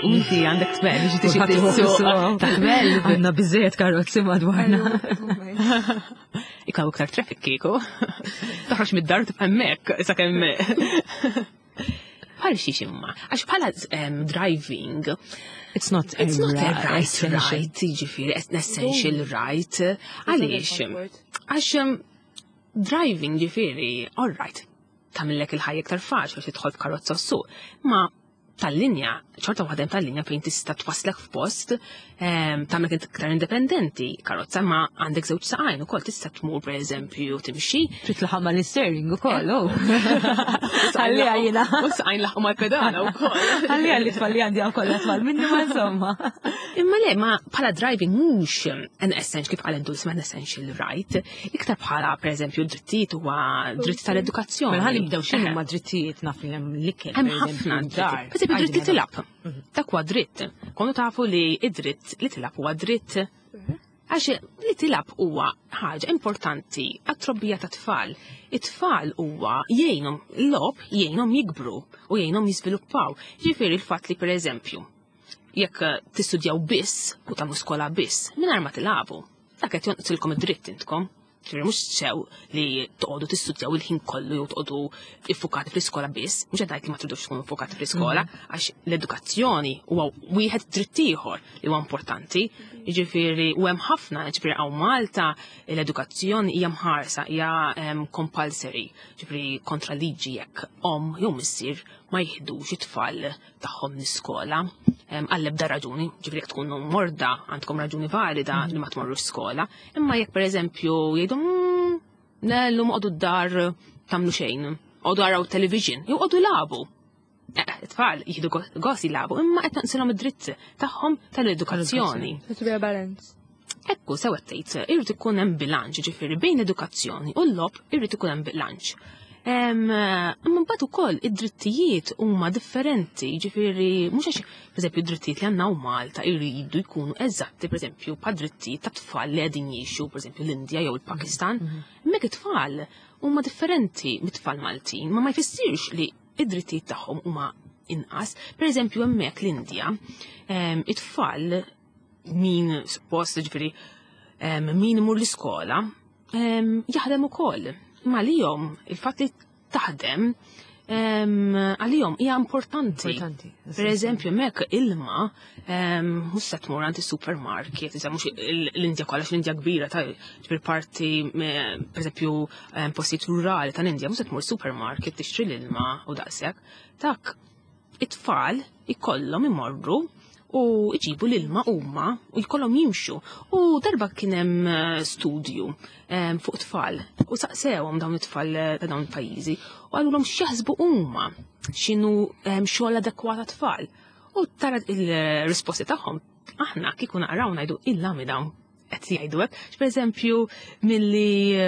C: Inti għandek tbel, biex tixi
B: Kulħadd iħobb
C: tissuq.
B: isuq.
C: Ta' tbel.
B: Għandna biżejjed karozzi madwarna.
C: Ikaw iktar traffic kieku. Toħroġ mid-dar tibqa' hemmhekk sakemm. Bħal xi ximma. Għax bħala driving,
B: It's not a
C: It's not a
B: right,
C: right,
B: essential.
C: right, jiġifieri, an essential right. Għaliex? Għax driving ġifieri, all right, tagħmillek il-ħajja iktar faċli biex tidħol f'karozza s-suq. Ma tal-linja, ċorta waħda hemm tal-linja fejn tista' twaslek f'post, Tagħmlek iktar indipendenti, karozza ma għandek żewġ saqajn ukoll tista' tmur pereżempju timxi.
B: Trid tlaħħaq mal-isteering ukoll, oh. Għalli għajna.
C: U saqajn laħqu mal-pedana wkoll.
B: Għalli għalli tfal li għandi kollha tfal minni ma insomma.
C: Imma le, ma bħala driving mhux an essential kif qal Dulce an essential right, iktar bħala pereżempju drittijiet huwa dritt tal-edukazzjoni.
B: Mela ħalli nibdew x'inhu ma drittijiet naf li hemm l-ikel.
C: Hemm ħafna
B: dar.
C: Pereżempju dritt li tilab. Dak huwa dritt. Konu tafu li id-dritt li tilab huwa dritt. Għax li tilab huwa ħaġa importanti għat-trobbija ta' tfal. It-tfal huwa jgħinhom l-logħob jgħinhom jikbru u jgħinhom jiżviluppaw. Ġifieri l-fatt li pereżempju jekk tistudjaw biss u tagħmlu skola biss mingħajr ma tilagħbu, dak qed jonqsilkom id-dritt intkom. Ġifieri mhux sew li toqgħodu tistudjaw il-ħin kollu jew toqgħodu iffukati fl-iskola biss, mhux qed ngħid li ma tridux tkunu iffukati fl-iskola, għax l-edukazzjoni huwa wieħed dritt ieħor li huwa importanti. Jiġifieri u hemm ħafna, ġifieri hawn Malta l-edukazzjoni hija mħarsa, hija compulsory, ġifieri kontra liġi jekk omm jew missier ma jiħdux it-tfal tagħhom l-iskola għall-ebda raġuni, ġifieri jekk tkunu morda għandkom raġuni valida li ma tmorrux skola, imma jekk pereżempju jgħidu le llum qogħdu d-dar tagħmlu xejn, qogħdu araw television, jew qogħdu lagħbu. It-tfal jieħdu gost jilagħbu, imma qed naqsilhom id-dritt tagħhom tal-edukazzjoni.
D: To be a balance.
C: Ekku, sew qed tgħid, irid ikun hemm bilanċ, ġifieri bejn l-edukazzjoni u l-logħob irid ikun hemm bilanċ. Imma mbagħad ukoll id-drittijiet huma differenti, ġifieri mhux għax pereżempju d-drittijiet li għandna hawn Malta jridu jkunu eżatti pereżempju bħad drittijiet ta' tfal li qegħdin jgħixu pereżempju l-Indja jew il-Pakistan. Hemmhekk it-tfal huma differenti mit-tfal Maltin, ma ma jfissirx li id-drittijiet tagħhom huma inqas. Pereżempju hemmhekk l-Indja, it-tfal min suppost ġifieri min imur l-iskola jaħdem ukoll. Imma għalihom il-fatt li taħdem għalihom hija importanti.
B: Importanti.
C: Per eżempju, hemmhekk ilma mhux se tmur għand is-supermarket, iżda mhux l-Indja kollha l-Indja kbira ta' ġifieri parti per eżempju postijiet rurali tal-Indja mhux se tmur supermarket tixtri l-ilma u daqshekk. Dak it-tfal ikollhom imorru u iġibu l-ilma huma u jkollhom jimxu. U darba kien hemm studju fuq tfal u saqsewhom dawn it-tfal ta' dawn il-pajjiżi u qalulhom x'jaħsbu huma x'inhu xogħol adekwat għat-tfal. U tara il-risposti tagħhom aħna kieku naqraw ngħidu illa mi dawn qed jgħidu hekk. Pereżempju milli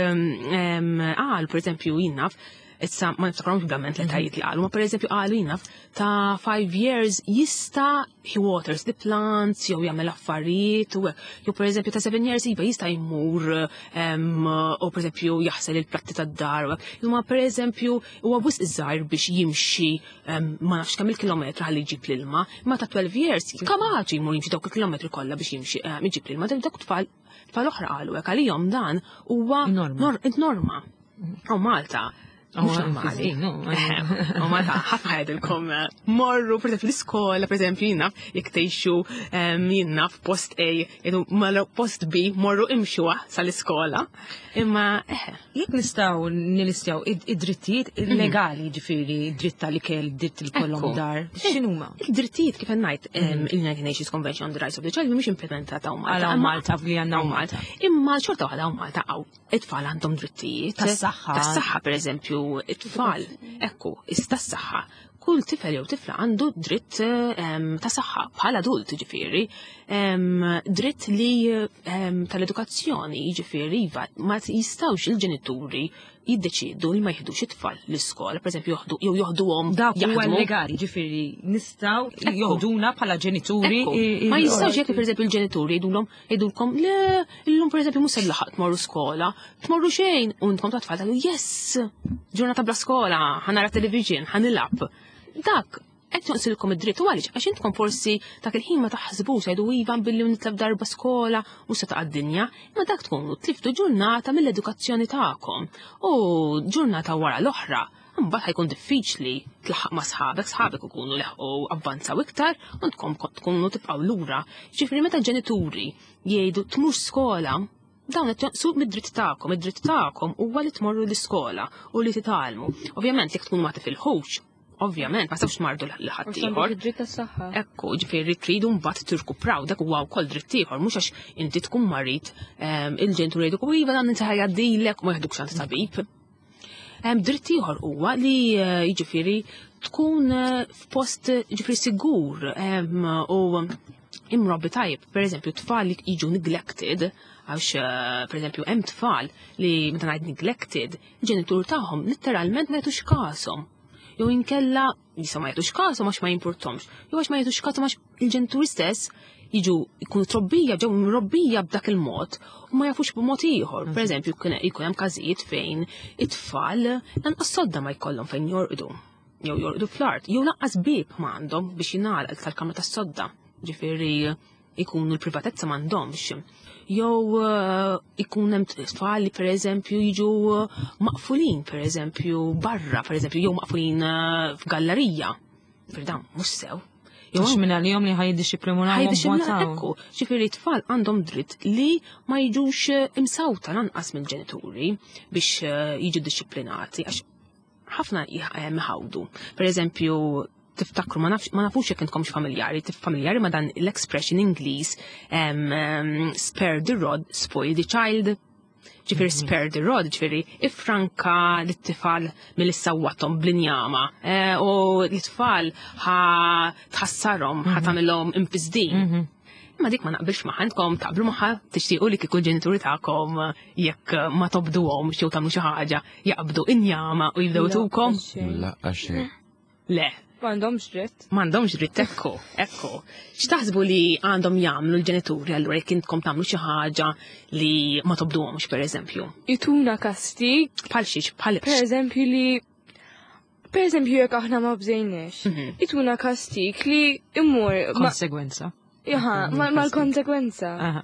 C: qal pereżempju jien naf, issa ma niftakarhomx ovvjament l-etajiet li qalu, ma pereżempju qalu jien naf ta' 5 years jista' he waters the plants jew jagħmel affarijiet u hekk. Jew pereżempju ta' 7 years iva jista' jmur u pereżempju jaħsel il-platti tad-dar u hekk. Imma pereżempju huwa wisq żgħir biex jimxi ma nafx kemm il-kilometru ħalli jġib l-ilma, imma ta' 12 years kapaċi jmur jimxi dawk il-kilometri kollha biex jimxi jġib l-ilma. Dawk tfal oħra qalu hekk għalihom dan huwa
B: Norma.
C: norma. U Malta mhux
B: Oh,
C: normali.
B: fil-din, no,
C: U Malta ħafna jgħidilkom morru per eżempju l-iskola, per eżempju jien naf jekk tgħixu jien naf post A, jgħidu mela post B, morru imxuha sal-iskola. Imma
B: Jekk nistgħu nilistjaw id-drittijiet legali, ġifieri, dritt tal-ikel, dritt li kollhom
C: Ekku.
B: dar, x'inhuma?
C: Il-drittijiet kif qed ngħid il-United Nations Convention on the Rights of the Child mhumiex implementata hawn Malta.
B: Għal hawn
C: Imma
B: Malta, li għandna hawn Malta.
C: Imma xorta waħda hawn Malta hawn it-tfal għandhom drittijiet.
B: Tas-saħħa.
C: Tas-saħħa pereżempju, it-tfal, ekku, tas-saħħa. Kull tifel jew tifla għandu dritt ta' saħħa bħala adult, ġifieri, dritt li tal-edukazzjoni, ġifieri, iva, ma jistgħux il-ġenituri jiddeċidu li ma jieħdux it-tfal l-iskola, pereżempju jew joħduhom
B: Dak huwa
C: jaħdmu.
B: legali, ġifieri nistgħu
C: Ekku.
B: joħduna bħala ġenituri.
C: Ekku. Ma jistgħux jekk pereżempju il-ġenituri jgħidulkom le illum pereżempju mhux se laħaq tmorru skola, tmorru xejn, u intkom ta' tfal tgħidu yes, ġurnata bla skola, ħa nara television, ħa nilgħab. Dak qed jonqsilkom id-dritt u għaliex għax intkom forsi dak il-ħin ma taħsbux jgħidu iva billi nitlef darba skola u se taqa' d-dinja, imma dak tkunu tliftu ġurnata mill-edukazzjoni tagħkom u ġurnata wara l-oħra. Mbagħad ħajkun diffiċli tlaħħaq ma' sħabek, sħabek ikunu leħqu avvanzaw iktar u ntkom tkunu tibqgħu lura. Ġifieri meta ġenituri jgħidu tmur skola, dawn qed jonqsu mid-dritt tagħkom, id-dritt tagħkom huwa li tmorru l-iskola u li titgħallmu. Ovvjament jekk tkunu ma tifilħux, Ovvjament, ma tistgħux tmardu lil ħaddieħor.
D: Dritt tas-saħħa.
C: Ekku, ġifieri tridu mbagħad tirkupraw dak huwa wkoll dritt ieħor, mhux għax inti tkun marid il-ġenituri jgħiduk u iva dan inti ħajgħaddilek u ma jeħdukx għand tabib. Dritt ieħor huwa li jiġifieri tkun f'post jiġifieri sigur u imrobbi tajjeb. Per eżempju, tfal li jiġu neglected, għax per eżempju hemm tfal li meta ngħid neglected, il-ġenitur tagħhom litteralment ma jagħtux kashom. Jew inkella jisa ma jagħtux kashom għax ma jimpurtomx, jew għax ma jagħtux kashom għax il-ġenituri stess jiġu jkunu trobbija, ġew mrobbija b'dak il-mod u ma jafux b'mod ieħor. Per eżempju, jkun hemm każijiet fejn it-tfal lanqas sodda ma jkollhom fejn jorqdu. Jew jorqdu fl-art, jew lanqas bieb ma għandhom biex jingħalaq tal-kamra tas-sodda. Ġifieri ikunu l-privatezza m'għandhomx. Jew ikun hemm tfal li pereżempju jiġu maqfulin, pereżempju barra, pereżempju jew maqfulin f'gallerija. Ġifieri dan mhux sew.
B: Jew minn għalihom li ħajiddixxiplinaw.
C: Ħajiddixxiplinaw, ekku. Ġifieri t-tfal għandhom dritt li ma jiġux imsawta lanqas mill-ġenituri biex jiġu dixxiplinati, għax ħafna jħawdu. Per eżempju, tiftakru, ma nafux jekk intkomx familjari, familjari ma dan l-expression Ingliż, spare the rod, spoil the child. Ġifieri spare the rod, ġifieri ifranka l-tifal mill-sawwatom bl-injama, u l-tfal ħa tħassarhom, ħa tagħmilhom imfiżdin. Imma dik ma naqbilx magħha, intkom taqblu magħha, tixtiequ li kieku l-ġenituri tagħkom jekk ma tobduhomx jew tagħmlu xi ħaġa jaqbdu injama u jibdew
D: La,
C: tukom?
D: xejn.
E: La, xejn.
C: Le.
D: M'għandhomx dritt.
C: M'għandhomx dritt, ekku, ekku. X'taħsbu li għandhom jagħmlu l-ġenituri allura jekk intkom tagħmlu xi ħaġa li ma tobduhomx pereżempju?
D: Jituna kastig.
C: Bħal xiex, bħal
D: Per eżempju li Per eżempju jekk aħna ma bżejniex, jituna kastig li immur ma-
B: Konsegwenza.
D: Jaha, mal-konsekwenza.
B: Aha.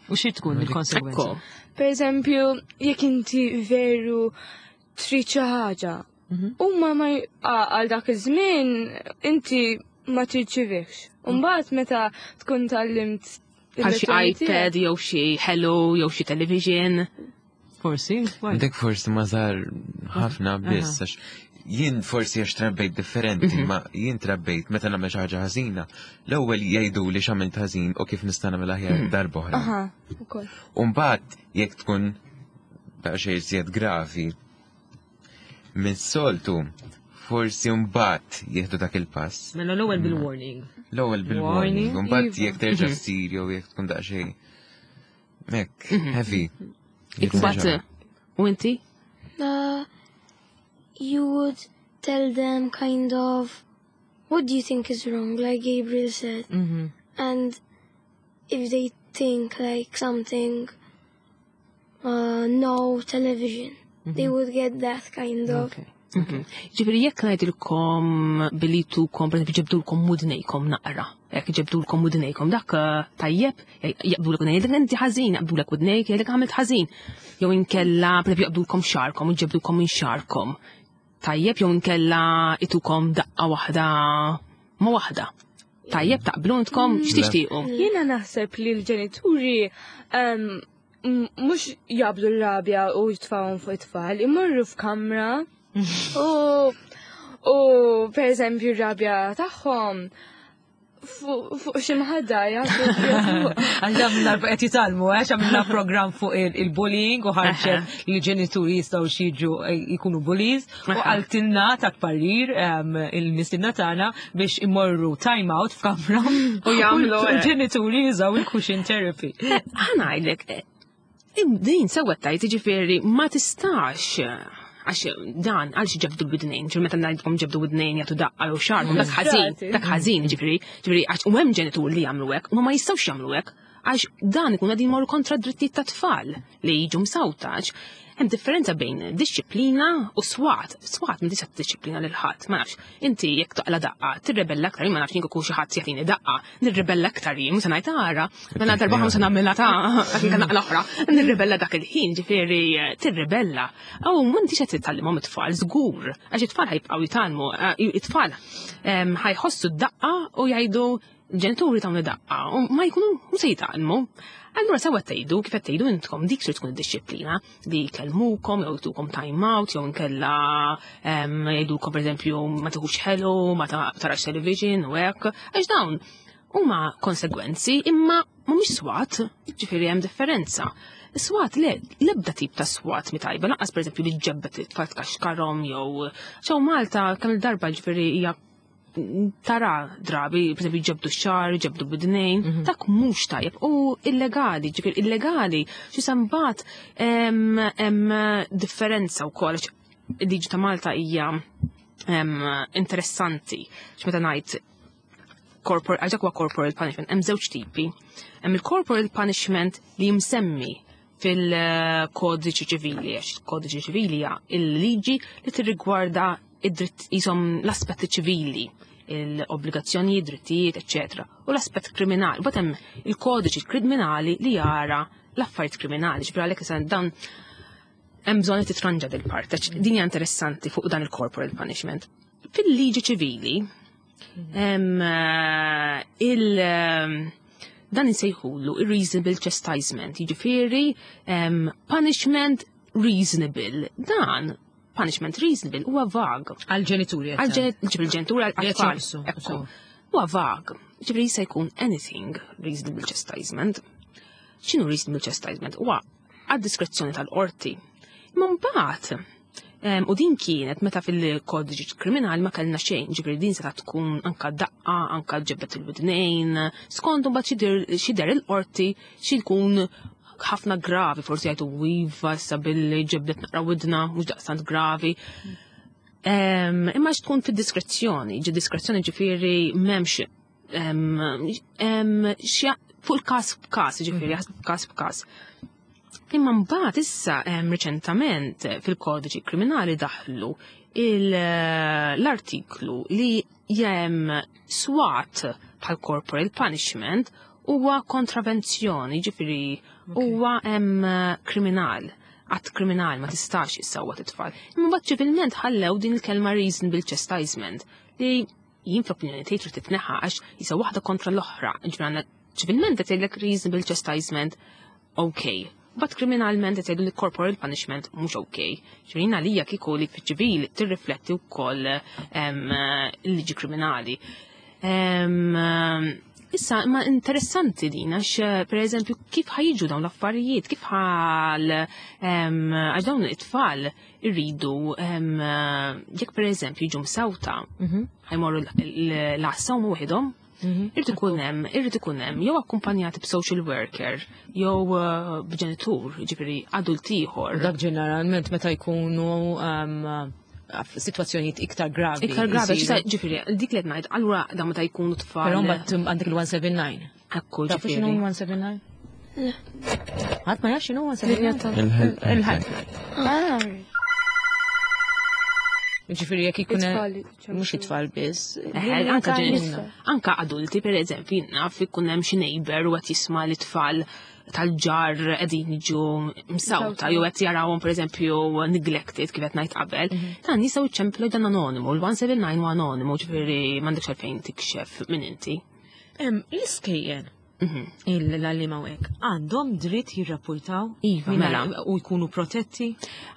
B: U xi tkun il-konsegwenza?
C: Ekku.
D: Per eżempju, jekk inti veru trid xi ħaġa, huma ma għal dak iż-żmien inti ma tirċivikx. U mbagħad meta tkun tgħallimt
C: Bħal xi
D: il-lezzjoni tiegħek.
C: iPad jew xi Hello jew xi television.
B: Forsi, why?
E: Dik forsi ma żar ħafna biss, għax jien forsi għax trabbejt differenti, ma jien trabbejt meta nagħmel xi ħaġa ħażina, l-ewwel jgħidu li x'għamilt ħażin u kif nista' nagħmel aħjar darba oħra.
D: Aha, ukoll.
E: U mbagħad jekk tkun daqsxejn iżjed gravi, mis-soltu forsi mbagħad jieħdu dak il-pass.
B: Mela l-ewwel bil-warning.
E: L-ewwel bil-warning,
B: Warning,
E: u mbagħad
D: iva.
E: jekk terġa' ssir jew jekk tkun daqsxejn hekk heavy.
C: Imbagħad u inti?
F: You would tell them kind of what do you think is wrong, like Gabriel said. And if they think like something, no television, they would get that kind of.
B: Okay.
C: Ġifieri jekk ngħidilkom billi tukom, per eżempju, ġebdulkom mudnejkom naqra. Jekk ġebdulkom mudnejkom dak tajjeb, jaqbdulek udnejk, jgħidlek inti ħażin, jaqbdulek udnejk, jgħidlek għamilt ħażin. Jew inkella, per eżempju, jaqbdulkom xarkom u ġebdulkom minn xarkom. Tajjeb, jew inkella itukom daqqa waħda ma waħda. Tajjeb, taqblu intkom, x'tixtiequ?
D: Jiena naħseb li l-ġenituri mhux jabdu l-rabja u jitfawhom fuq it-tfal, imorru f'kamra u per eżempju r-rabja tagħhom fuq xi mħadda jagħtu fuq.
B: Għax dan darba qed jitgħallmu, għax għamilna programm fuq il-bullying u ħarġet li l-ġenituri jistgħu jiġu jkunu bullies u qaltilna ta' parir il-mistiedna tagħna biex imorru time out f'kamra
C: U jagħmlu,
B: u l-ġenituri jużaw il-cushion therapy.
C: Ħa ngħidlek, din sewwa tajt, jiġifieri ma tistax, għax dan, għalx ġebdu bidnejn, ġifieri meta ngħidlkom ġebdu bidnejn jagħtu daqqa jew xarhom, dak ħażin, dak ħażin, ġifieri, għax u hemm ġenitur li jagħmlu hekk, u ma jistgħux jagħmlu hekk, għax dan ikun qegħdin imorru kontra d-drittijiet tat-tfal li jiġu msawta, għax hemm differenza bejn disċiplina u swat. Swat ma tista' tiddixxiplina lil ħadd, ma nafx. Inti jekk taqla daqqa, tirrebella aktar, ma nafx jien kieku xi ħadd jagħtini daqqa, nirrebella aktar jien, mhux se ngħid ara, mela darba mhux se nagħmilha ta' għax inkella naqla oħra, nirrebella dak il-ħin, ġifieri tirrebella. Aw m'intix qed titgħallimhom it-tfal żgur, għax it-tfal ħajbqgħu jitgħallmu, it-tfal ħajħossu d-daqqa u jgħidu ġenituri tawni daqqa u ma jkunu mhux se jitgħallmu. Allura sewa tgħidu kif qed tgħidu intkom dik trid tkun id-dixxiplina li jkellmukom jew jtukom time out jew inkella jgħidulkom pereżempju ma tieħux ħelu, ma tarax television u hekk, għax dawn huma konsegwenzi imma mhumiex swat, ġifieri hemm differenza. Swat le, l-ebda tip ta' swat mi tajba, lanqas pereżempju li ġebbet li tfal tkaxkarhom jew ċew Malta kemm il-darba ġifieri hija tara drabi, per esempio, ġebdu xar, ġebdu bidnejn, dak mhux tajjeb u illegali, ġifieri illegali, xi sambat hemm differenza wkoll għax il-liġi ta' Malta hija interessanti. X'meta ngħid corporal, għax dak huwa corporal punishment, hemm żewġ tipi. Hemm il-corporal punishment li jimsemmi fil-kodiċi ċivili, għax il-kodiċi ċivili hija il-liġi li tirrigwarda id-dritt jisom l-aspetti ċivili, l-obbligazzjonijiet, drittijiet, eccetera. U l-aspett kriminali. Mbagħad hemm il-kodiċi kriminali li jara l-affarijiet kriminali, ġifieri għalhekk issa dan hemm bżonn li titranġa dil part, għax din hija interessanti fuq dan il-corporal punishment. Fil-liġi ċivili, il dan insejħulu il-reasonable chastisement, jiġifieri punishment reasonable. Dan punishment reasonable huwa vag.
B: Għal-ġenituri.
C: Għal-ġenituri għal-tfal.
B: Ekku.
C: Huwa vag. Ġifieri jista' jkun anything reasonable chastisement. X'inhu reasonable chastisement? Huwa għad-diskrezzjoni tal-qorti. Imma mbagħad u din kienet meta fil-kodiċi kriminali ma kellna xejn, ġifieri din seta' tkun anka daqqa, anka ġebet il-widnejn, skont mbagħad x'idher il-qorti xi jkun ħafna gravi, forsi jgħidu iva issa billi ġebdet naqra widna, mhux daqstant gravi. Imma tkun fid-diskrezzjoni, ġi diskrezzjoni ġifieri m'hemmx fuq il-każ b'każ, ġifieri każ b'każ. Imma mbagħad issa riċentament fil-kodiċi kriminali daħlu l-artiklu li jem swat bħal corporal punishment huwa kontravenzjoni, ġifieri huwa hemm kriminal, att kriminal ma tistax issawwat it-tfal. Imma mbagħad ċivilment ħallew din il-kelma reasonable chastisement li jien fl-opinjoni tiegħi trid titneħħa għax jisa waħda kontra l-oħra. Ġifieri għandna ċivilment qed jgħidlek reasonable chastisement okay. But kriminalment qed jgħidu li corporal punishment mhux okay. Ġifieri jiena għalija kieku li fiċ-ċivil tirrifletti wkoll il-liġi kriminali. Issa, ma interessanti din, għax per eżempju, kif ħa jiġu dawn l-affarijiet, kif ħal, għax dawn it-tfal irridu, jekk per eżempju jiġu msawta, ħa jmorru l-għassa u waħedhom, Irrid ikun hemm, irrid ikun hemm jew akkumpanjati b'social worker, jew b'ġenitur, ġifieri adult ieħor.
B: Dak ġeneralment meta jkunu situazzjonijiet iktar gravi.
C: Iktar gravi, ġifieri, dik li qed ngħid, allura dan meta jkunu tfal.
B: Però mbagħad għandek il-179.
C: Ekku,
B: Tafu
C: ġifieri.
B: x'inhu 179?
F: Le.
B: Ħadd ma jaf x'inhu 179?
E: Il-helpline.
F: Ah,
B: Ġifieri jekk ikun
D: It-tfal,
B: mhux it-tfal biss.
C: Anka anka adulti per eżempju, naf ikun hemm xi neighbor u qed jisma' li tfal tal-ġar qegħdin jiġu msawta jew qed jarawhom pereżempju neglected kif qed ngħid qabel, dan jistgħu jċemplu dan anonimu, l-179 huwa anonimu, ġifieri m'għandekx għalfejn tikxef minn inti.
B: L-iskejjel l-għallima u hekk għandhom dritt jirrapportaw
C: Iva, mela.
B: u jkunu protetti.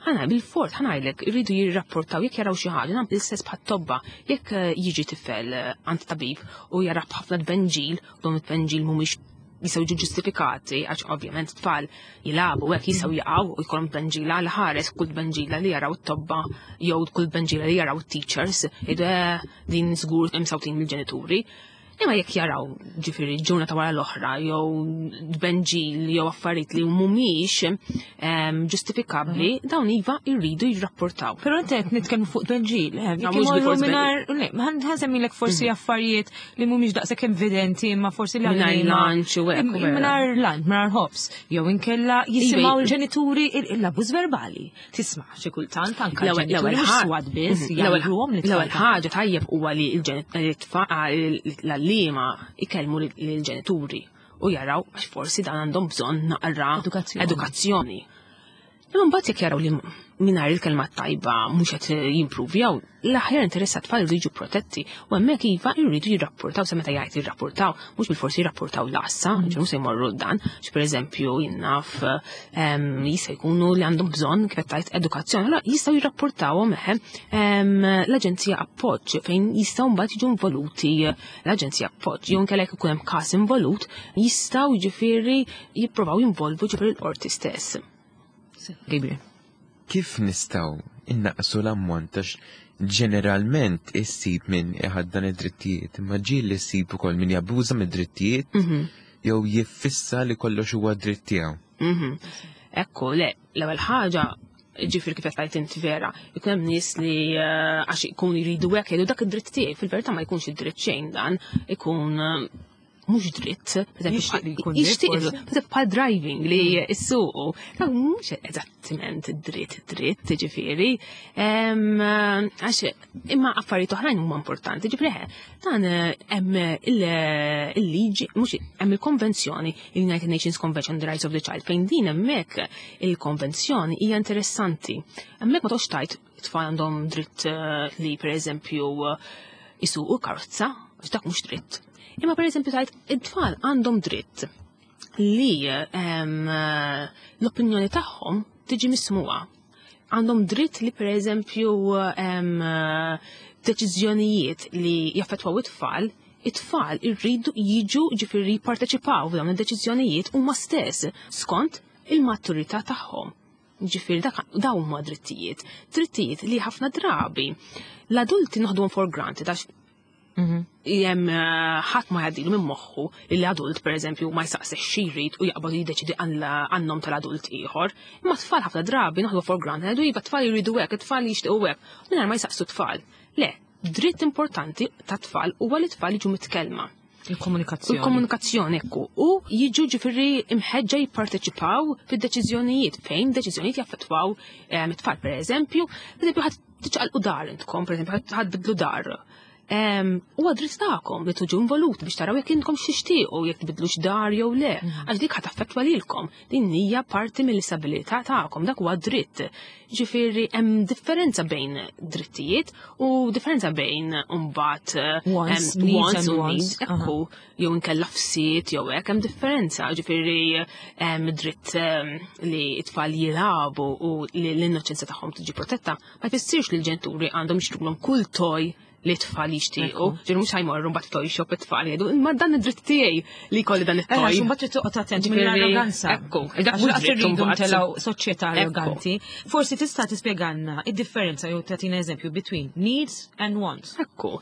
C: Ħana bil-fort, ħa ngħidlek, irridu jirrapportaw jekk jaraw xi ħaġa, nagħmel l-istess bħat-tobba, jekk jiġi tifel għand tabib u jara ħafna tbenġil, dawn it-tbenġil mhumiex jistgħu jiġu ġustifikati, għax ovvjament tfal jilagħbu hekk jistgħu jaqgħu u jkollhom tbenġila għal ħares kull tbenġila li jaraw it-tobba jew kull tbenġila li jaraw it-teachers, jgħidu din żgur imsawtin mill-ġenituri. Imma jekk jaraw ġifieri ġurnata wara l-oħra jew tbenġil jew affarijiet li mhumiex ġustifikabbli, dawn iva jridu jirrapportaw.
B: Però inti qed nitkellmu fuq tbenġil,
C: Ma
B: jekk
C: mhux
B: imorru
C: bil-fors
B: mingħajr, le, ma ħa nsemmilek forsi affarijiet li mhumiex daqshekk evidenti, imma forsi li
C: Mingħajr
B: għalina
C: lunch u hekk, u vera.
B: Mingħajr lunch, mingħajr ħobż, jew inkella jisimgħu
C: Iva,
B: l-ġenituri l-abbuż verbali. Tisma' xi kultant anke
C: L-ewwel
B: l-ġenituri mhux swat biss, jgħiduhom li
C: L-ewwel ħaġa tajjeb huwa li l-għalliema ikellmu lill-ġenituri u jaraw għax forsi dan għandhom bżonn naqra
B: Edukazzjoni.
C: edukazzjoni. Imma mbagħad jekk jaraw li mingħajr il-kelma tajba mhux qed jimpruvjaw, l-aħjar interess tat-tfal irridu jiġu protetti u hemmhekk iva jridu jirrapportaw sa meta jgħid jirrapportaw, mhux bilforsi jirrapportaw l-għassa, mm. ġew se jmorru dan, pereżempju jinnaf jista' jkunu li għandhom bżonn kif qed tgħid edukazzjoni, allura jistgħu jirrapportawhom eħe l-Aġenzija Appoġġ fejn jistgħu mbagħad jiġu involuti l-Aġenzija Appoġġ jew inkella jekk ikun hemm każ involut jistgħu jiġifieri jipprovaw jinvolvu ġifieri l-qorti stess.
B: Gabriel.
E: Kif nistgħu innaqsu l-ammont għax ġeneralment issib min iħaddan id-drittijiet, imma ġieli ssib ukoll min jabbuża mid-drittijiet mhm. jew jiffissa li kollox huwa dritt tiegħu.
C: Mhm. Ekku, le, l-ewwel ħaġa ġifir kif qed inti vera, ikun hemm nies li eh, għax ikun jridu hekk jgħidu dak id-dritt tiegħi, fil-verità ma jkunx id-dritt xejn dan, ikun eh, mhux dritt, jixtieq bħal driving li mm. issuqu, mhux eżattament dritt dritt, ġifieri, għax imma affarijiet oħrajn huma importanti, ġifieri dan eh, hemm il-liġi, mhux hemm il-konvenzjoni, il-United Nations Convention on the Rights of the Child, fejn din hemmhekk il-konvenzjoni hija interessanti. Hemmhekk ma toqgħodx tajt tfal għandhom dritt eh, li pereżempju isuqu karozza, għax dak mhux dritt. Imma pereżempju tajt it-tfal għandhom dritt li l-opinjoni tagħhom tiġi mismuha. Għandhom dritt li pereżempju deċiżjonijiet li jaffettwaw it-tfal, it-tfal irridu jiġu ġifieri jipparteċipaw f'dawn id-deċiżjonijiet huma stess skont il-maturità tagħhom. Ġifieri dak dawn huma drittijiet. Drittijiet li ħafna drabi l-adulti noħduhom for granted għax mhm. jem eh, ħadd ma jgħaddilu minn moħħu li l-adult pereżempju ma jsaqsex xi jrid u jaqbad jiddeċidi għan-nom tal-adult ieħor. Imma tfal ħafna drabi noħdu for granted ngħidu iva tfal jridu hekk, it-tfal jixtiequ hekk, mingħajr ma jsaqsu tfal. Le, dritt importanti ta' tfal huwa li tfal jiġu mitkellma.
B: Il-komunikazzjoni.
C: Il-komunikazzjoni, ekku. U jiġu ġifiri imħeġġa jipparteċipaw fid-deċiżjonijiet, fejn deċiżjonijiet jaffettwaw eh, it-tfal, per eżempju, per eżempju, ħadd tiċqalqu dar intkom, per eżempju, ħadd bidlu dar. Huwa dritt tagħkom li tuġu involut biex taraw jekk intkom xixtiequ jekk tbidlux dar jew le, mm. għax dik ħadd affettwa lilkom. Din hija parti mill-istabilità tagħkom, dak huwa dritt. Ġifieri hemm differenza bejn drittijiet u differenza bejn mbagħad eh,
B: wants needs u needs.
C: Ekku, jew inkella fsiet jew hekk hemm differenza, ġifieri hemm dritt li t-tfal jilagħbu u li l-innoċenza tagħhom tiġi protetta, ma jfissirx li l-ġenituri għandhom jixtrulhom kull toj li tfal jixtiequ, ġifieri mhux ħajmorru mbagħad toy shop it-tfal jgħidu, imma dan id-dritt tiegħi li jkolli dan it-toy.
B: Għax mbagħad trid toqgħod attent mill-arroganza.
C: Ekku,
B: dak mhux dritt irridu ntelgħu soċjetà arroganti. Forsi tista' tispjegalna id-differenza jew tagħtina eżempju between needs and wants.
C: Ekku,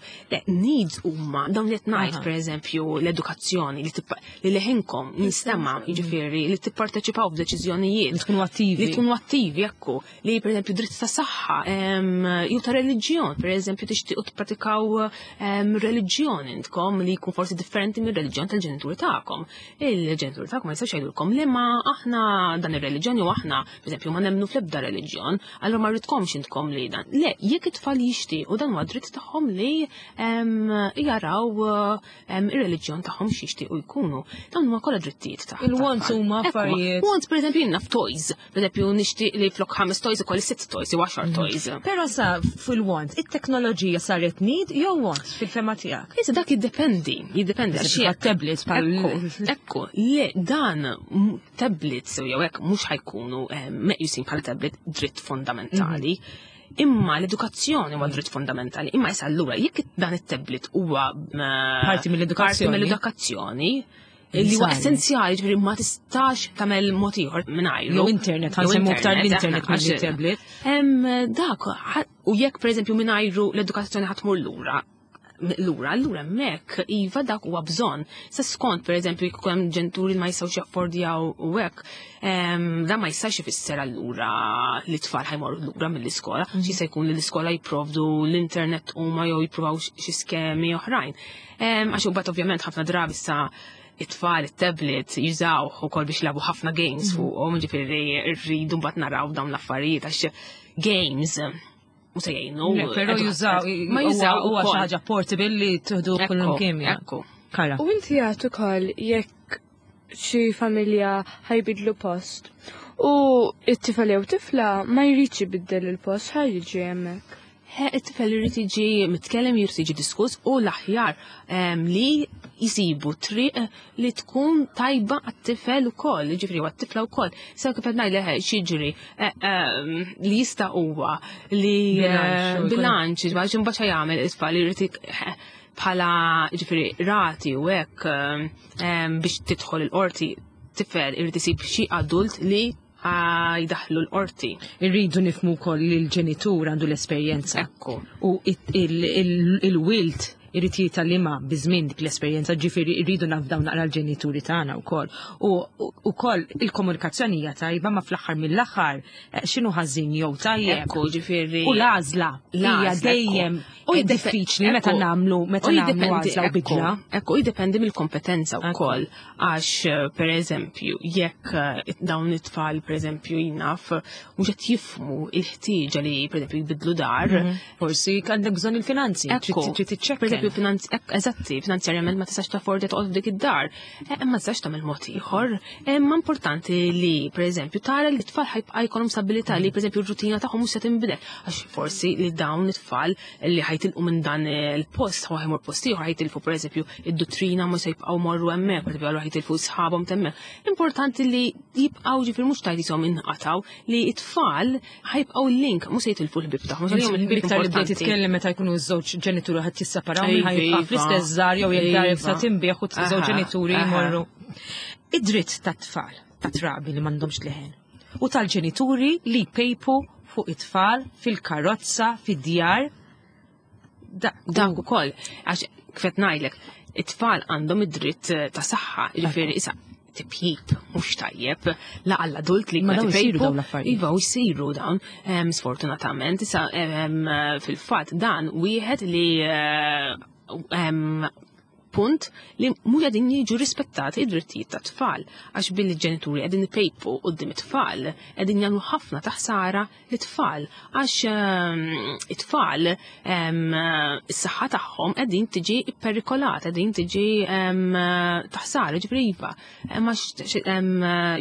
C: needs huma dawn li qed ngħid pereżempju l-edukazzjoni li leħinkom jinstema' jiġifieri li tipparteċipaw f'deċiżjonijiet.
B: Li tkunu attivi.
C: Li tkunu attivi, ekku. li pereżempju dritt ta' saħħa jew ta' reliġjon, pereżempju tixtiequ tippratikaw reliġjon intkom li jkun forsi differenti mir-reliġjon tal-ġenituri tagħkom. Il-ġenituri tagħkom ma jistgħux jgħidulkom li ma aħna dan ir-reliġjon jew aħna pereżempju ma nemmnu fl-ebda reliġjon, allura ma rridkomx intkom li dan. Le, jekk it-tfal jixtiequ dan huwa dritt tagħhom li jaraw ir-reliġjon tagħhom x'jixtiequ jkunu. Dawn huma kollha drittijiet tagħhom.
B: Il-wants huma affarijiet.
C: Wants pereżempju jiena f'toys. Pereżempju nixtieq li flok ħames toys ikolli sitt toys jew għaxar mhm. toys.
B: Però sa fil-want, it-teknoloġija saret need jew want fil-fema tiegħek?
C: Issa dak jiddependi, jiddependi
B: għax tablets bħal.
C: Ekku, le dan tablets jew hekk mhux ħajkunu eh, meqjusin bħala tablet dritt fondamentali. Mhm. Imma l-edukazzjoni huwa dritt fundamentali. Imma issa allura jekk dan it-tablet huwa
B: eh, parti mill-edukazzjoni.
C: Parti mill-edukazzjoni, li huwa essenzjali, ġifieri ma tistax tagħmel mod ieħor mingħajru.
B: Jew internet, ħansemmu aktar l-internet mill-tablet.
C: Dak, u jekk pereżempju mingħajru l-edukazzjoni ħadd tmur lura, lura, allura hemmhekk iva dak huwa bżonn. Sa skont pereżempju jekk hemm ġenituri li ma jistgħux jaffordjaw u hekk, dan ma jistax ifisser allura li tfal ħajmorru lura mill-iskola, mhm. xi se jkun li l-iskola jipprovdu l-internet huma jew jippruvaw xi skemi oħrajn. Għax u bat ovvjament ħafna drabi sa it-tfal, it-tablet, jużaw u kol biex labu ħafna games mhm. fuqhom, ġifieri rridu mbagħad naraw dawn l-affarijiet għax games u se jgħinu.
B: Però jużaw, ma jużaw huwa xi ħaġa portable li tuħdu kullum kemm.
C: Ekku.
B: Kara.
D: U inti jagħtu ukoll jekk xi familja ħajbidlu post. U it-tifel jew tifla ma jridx ibiddel il-post, ħa jiġi hemmhekk.
C: It-tifel irid jiġi mitkellem, jrid jiġi diskuss u l-aħjar li jisibu triq li tkun tajba għat-tifel ukoll, jiġifieri għat-tifla wkoll. Sa kif qed ngħidlek x'jiġri li jista' huwa li
B: Bilanċ,
C: bilanċ, għax imbagħad jagħmel it-tfal irid bħala ġifieri rati u hekk biex tidħol il-qorti tifel irid isib xi adult li jdaħlu l-qorti.
B: Irridu nifhmu wkoll li l-ġenitur għandu l-esperjenza.
C: Ekku.
B: U il-wild irid jitgħallimha biż-żmien dik l-esperjenza, ġifieri rridu nafdaw naqra l-ġenituri tagħna wkoll. U wkoll il-komunikazzjoni hija tajba ma fl-aħħar mill-aħħar x'inhu ħażin jew tajjeb.
C: Ekku, ġifieri.
B: U l-għażla hija
C: L-għażla,
B: dejjem
C: U
B: diffiċli meta
C: ekku.
B: nagħmlu meta
C: U
B: nagħmlu
C: jiddependi,
B: għażla u
C: ekku,
B: bidla.
C: Ekku, jiddependi mill-kompetenza
B: Ekku.
C: wkoll. Għax, per eżempju, jekk dawn it-tfal, per eżempju, jnaf, mhux qed jifhmu il-ħtieġa li, per eżempju, jbidlu dar.
B: Forsi għandek bżonn il-finanzi,
C: Ekku.
B: trid tiċċekken.
C: Per eżempju, eżatti, finanzjarjament ma tistax taffordi toqgħod f'dik id-dar. Imma tistax tagħmel mod ieħor. Imma importanti li, per eżempju, tara li t-tfal ħajbqa' jkollhom stabilità li, per eżempju, r-rutina tagħhom mhux se tinbidel. Għax forsi li dawn it-tfal li ħajtilqu minn dan il-post, ħa jmur post ieħor, ħajtilfu per eżempju id-duttrina mhux se jibqgħu morru hemmhekk, per eżempju, allura ħajtilfu sħabhom t'hemmhekk. Importanti li jibqgħu ġifieri mhux tajt jisom inqataw li t-tfal ħajbqgħu l-link mhux se jitilfu l-ħbieb tagħhom. Għax għalihom il-ħbieb
B: Iktar li bdejt
C: importanti.
B: titkellem meta jkunu ż-żewġ ġenituri ħadd jisseparaw
C: Iva,
B: minn ħajbqa'
C: iva.
B: fl-istess żar jew jekk dar
C: Iva.
B: sa tinbieħ u żewġ ġenituri jmorru. Id-dritt tat-tfal, tat-trabi li m'għandhomx leħen, u tal-ġenituri li jpejpu fuq it-tfal fil-karozza, fid-djar.
C: Dak ukoll, għax kif qed ngħidlek, it-tfal għandhom id-dritt ta' saħħa, jiġifieri issa tipjib mhux tajjeb la għall-adult li
B: Ma
C: qed
B: dawn isiru
C: ipejpu.
B: dawn l-affarijiet.
C: Iva, u jsiru dawn, sfortunatament, issa fil-fatt dan wieħed li punt li mhux qegħdin jiġu rispettati id-drittijiet tat-tfal, għax billi ġenituri qegħdin ipejpu quddiem it-tfal, qegħdin jagħmlu ħafna ta' ħsara lit-tfal, għax it-tfal is-saħħa tagħhom qegħdin tiġi ipperikolata, qegħdin tiġi ta' ħsara, ġifieri iva. Għax,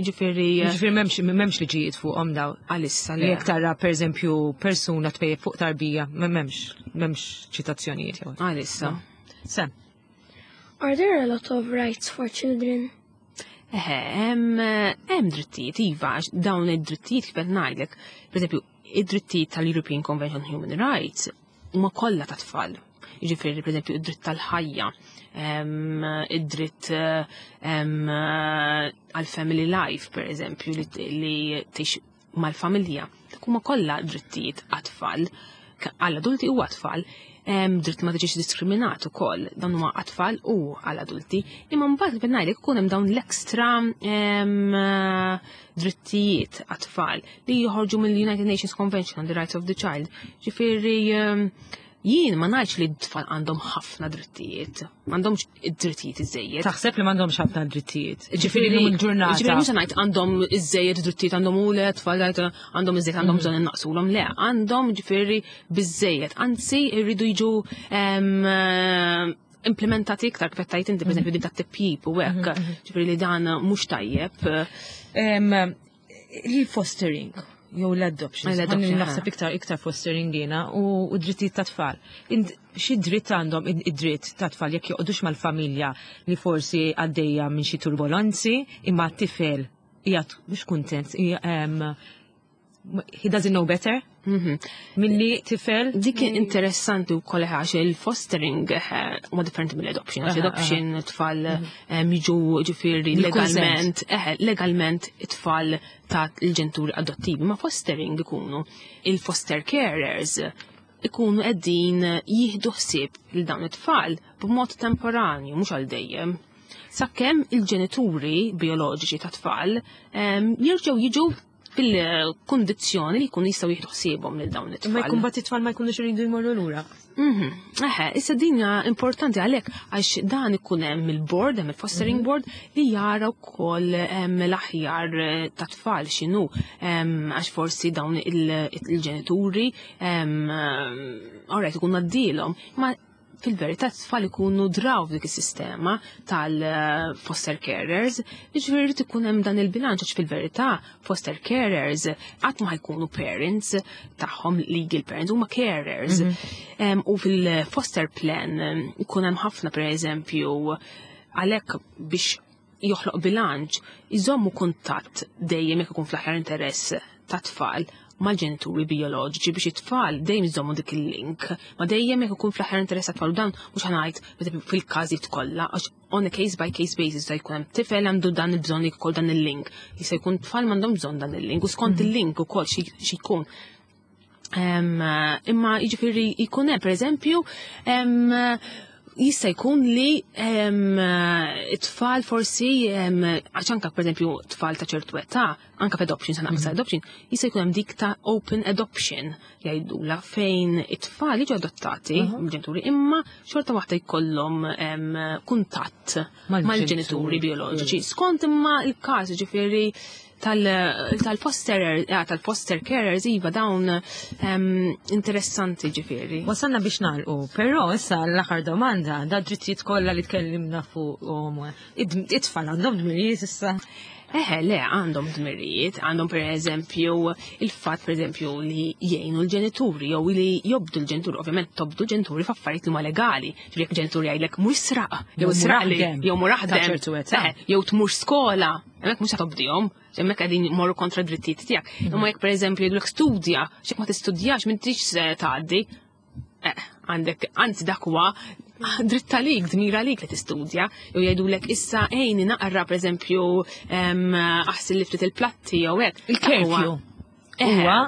C: ġifieri
B: Ġifieri m'hemmx liġijiet fuqhom daw.
C: Għalissa le.
B: Jekk tara pereżempju persuna tpejjep fuq tarbija, m'hemmx ċitazzjonijiet jew.
C: Għalissa.
B: Sem.
F: Are there a lot of rights for children?
C: Eħe, hemm drittijiet, iva, għax dawn id-drittijiet kif qed ngħidlek, pereżempju, id-drittijiet tal-European Convention on Human Rights huma kollha ta' tfal. Jiġifieri, pereżempju, id-dritt tal-ħajja, id-dritt għal-family life, pereżempju, li tgħix mal-familja. Dak huma kollha drittijiet għat-tfal, għall-adulti u għat-tfal. Dritt ma tiġix diskriminat ukoll, dawn huma għat-tfal u għall-adulti. Imma mbagħad kif ngħidlek ikun hemm dawn l-ekstra drittijiet għat-tfal li joħorġu mill-United Nations Convention on the Rights of the Child. Ġifieri, jien ma ngħidx li t-tfal għandhom ħafna drittijiet, m'għandhomx id-drittijiet iżejjed.
B: Taħseb li m'għandhomx ħafna drittijiet? Ġifieri llum il-ġurnata.
C: Ġifieri mhux ngħid għandhom iżejjed drittijiet, għandhom u le tfal għandhom iżejjed, għandhom bżonn innaqsulhom, le, għandhom ġifieri biżejjed, anzi jridu jiġu implementati iktar kif qed tgħid inti, pereżempju din tat-tipjip u hekk, ġifieri li dan mhux tajjeb.
B: Il-fostering jew l-adoption.
C: L-adoption,
B: Ħalli naħseb iktar fostering jiena u drittijiet ta' tfal. Xi dritt għandhom id-dritt ta' tfal jekk joqogħdux mal-familja li forsi għaddejja minn xi turbolenzi, imma t-tifel qiegħed mhux kuntent, he doesn't know better. Milli tifel.
C: Dik interessanti wkoll għax il-fostering huma differenti mill-adoption. Għax adoption tfal jiġu ġifieri
B: Bil-consent.
C: legalment it-tfal ta' il-ġenituri adottivi, ma fostering ikunu il-foster carers ikunu qegħdin jieħdu ħsieb lil dawn it-tfal b'mod temporanju, mhux għal dejjem. Sakemm il-ġenituri bioloġiċi ta' tfal jerġgħu jiġu fil-kundizzjoni li jkunu jistgħu jieħdu ħsiebhom lil dawn it-tfal.
B: Ma jkun bat it-tfal ma jkunux iridu jmorru lura.
C: Eħe, issa din hija importanti għalhekk għax dan ikun hemm il-board, hemm il-fostering board li jara wkoll hemm l-aħjar ta' tfal x'inhu, għax forsi dawn il-ġenituri, alright, ikun għaddilhom, ma fil-verità t-tfal ikunu draw f'dik is-sistema tal-foster carers, jiġifieri jrid ikun hemm dan il-bilanċ għax fil-verità foster carers qatt ma jkunu parents tagħhom legal parents huma carers. U fil-foster plan ikun hemm ħafna pereżempju għalhekk biex joħloq bilanċ, iżommu kuntatt dejjem jekk ikun fl-aħjar interess tat-tfal mal-ġenituri bijoloġiċi biex it-tfal dejjem iżommu dik il-link, ma dejjem jekk ikun fl-aħjar interess tat-tfal u dan mhux ħa ngħid fil-każijiet kollha għax on a case by case basis ta' jkun hemm tifel għandu dan il-bżonn li jkoll dan il-link. Jista' jkun tfal m'għandhom bżonn dan il-link u skont il-link ukoll xi jkun. Imma jiġifieri jkun hemm pereżempju jista' jkun li it-tfal forsi għax anka pereżempju tfal ta' ċertu età, anka f'adoption, sa naqsa adoption, jista' jkun hemm dik ta' open adoption jgħidula fejn it-tfal jiġu adottati mill-ġenituri imma xorta waħda jkollhom kuntatt mal-ġenituri bioloġiċi. Skont imma il-każ ġifieri tal-foster tal-foster carers iva dawn interessanti ġifieri.
B: Wasalna biex nagħlqu, però issa l-aħħar domanda, da drittijiet kollha li tkellimna fuqhom, it-tfal għandhom dmirijiet issa.
C: Eħe, le, għandhom dmirijiet, għandhom per eżempju il-fatt per eżempju li jgħinu l-ġenituri jew li jobdu l-ġenituri, ovvjament tobdu l-ġenituri f'affarijiet li huma legali. Ġifieri jekk ġenituri jgħidlek mhux sraq, jew sraqli, jew mur aħdem, jew tmur skola, hemmhekk mhux tobdihom, hemmhekk qegħdin morru kontra drittijiet tiegħek. Imma jekk pereżempju jgħidulek studja, x'jekk ma tistudjax m'intix tgħaddi. Għandek, anzi dak huwa dritt għalik, dmir għalik li tistudja, jew jgħidulek issa ejni naqra pereżempju aħsil li ftit il-platti jew hekk.
B: Il-curfew. Huwa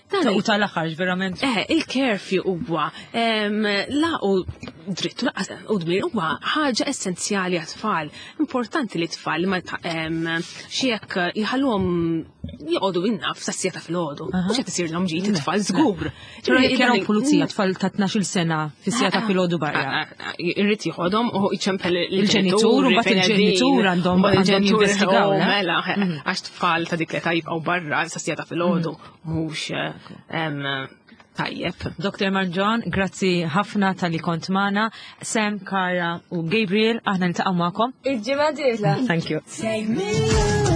B: u tal-aħħar verament.
C: Il-curfew huwa la u dritt u dmir huwa ħaġa essenzjali għat-tfal. Importanti li tfal ma xi jekk jħalluhom joqogħdu innaf sa siegħa ta' filgħodu. Mhux qed isirlhom ġid it-tfal żgur.
B: Però jekk jaraw pulizija tfal ta' 12-il sena fi siegħa ta' filgħodu barra.
C: Irrid jieħodhom u jċempel
B: il-ġenitur u mbagħad il-ġenitur għandhom jinvestigaw.
C: Mela, għax tfal ta' dik l-età jibqgħu barra sa siegħa ta' filgħodu mhux tajjeb.
B: Dr. Mangion, grazzi ħafna tal-li kont magħna. Sam, Kara u Gabriel, aħna niltaqgħu magħkom.
D: Il-ġimgħa dieħla.
B: Thank you.
F: Take me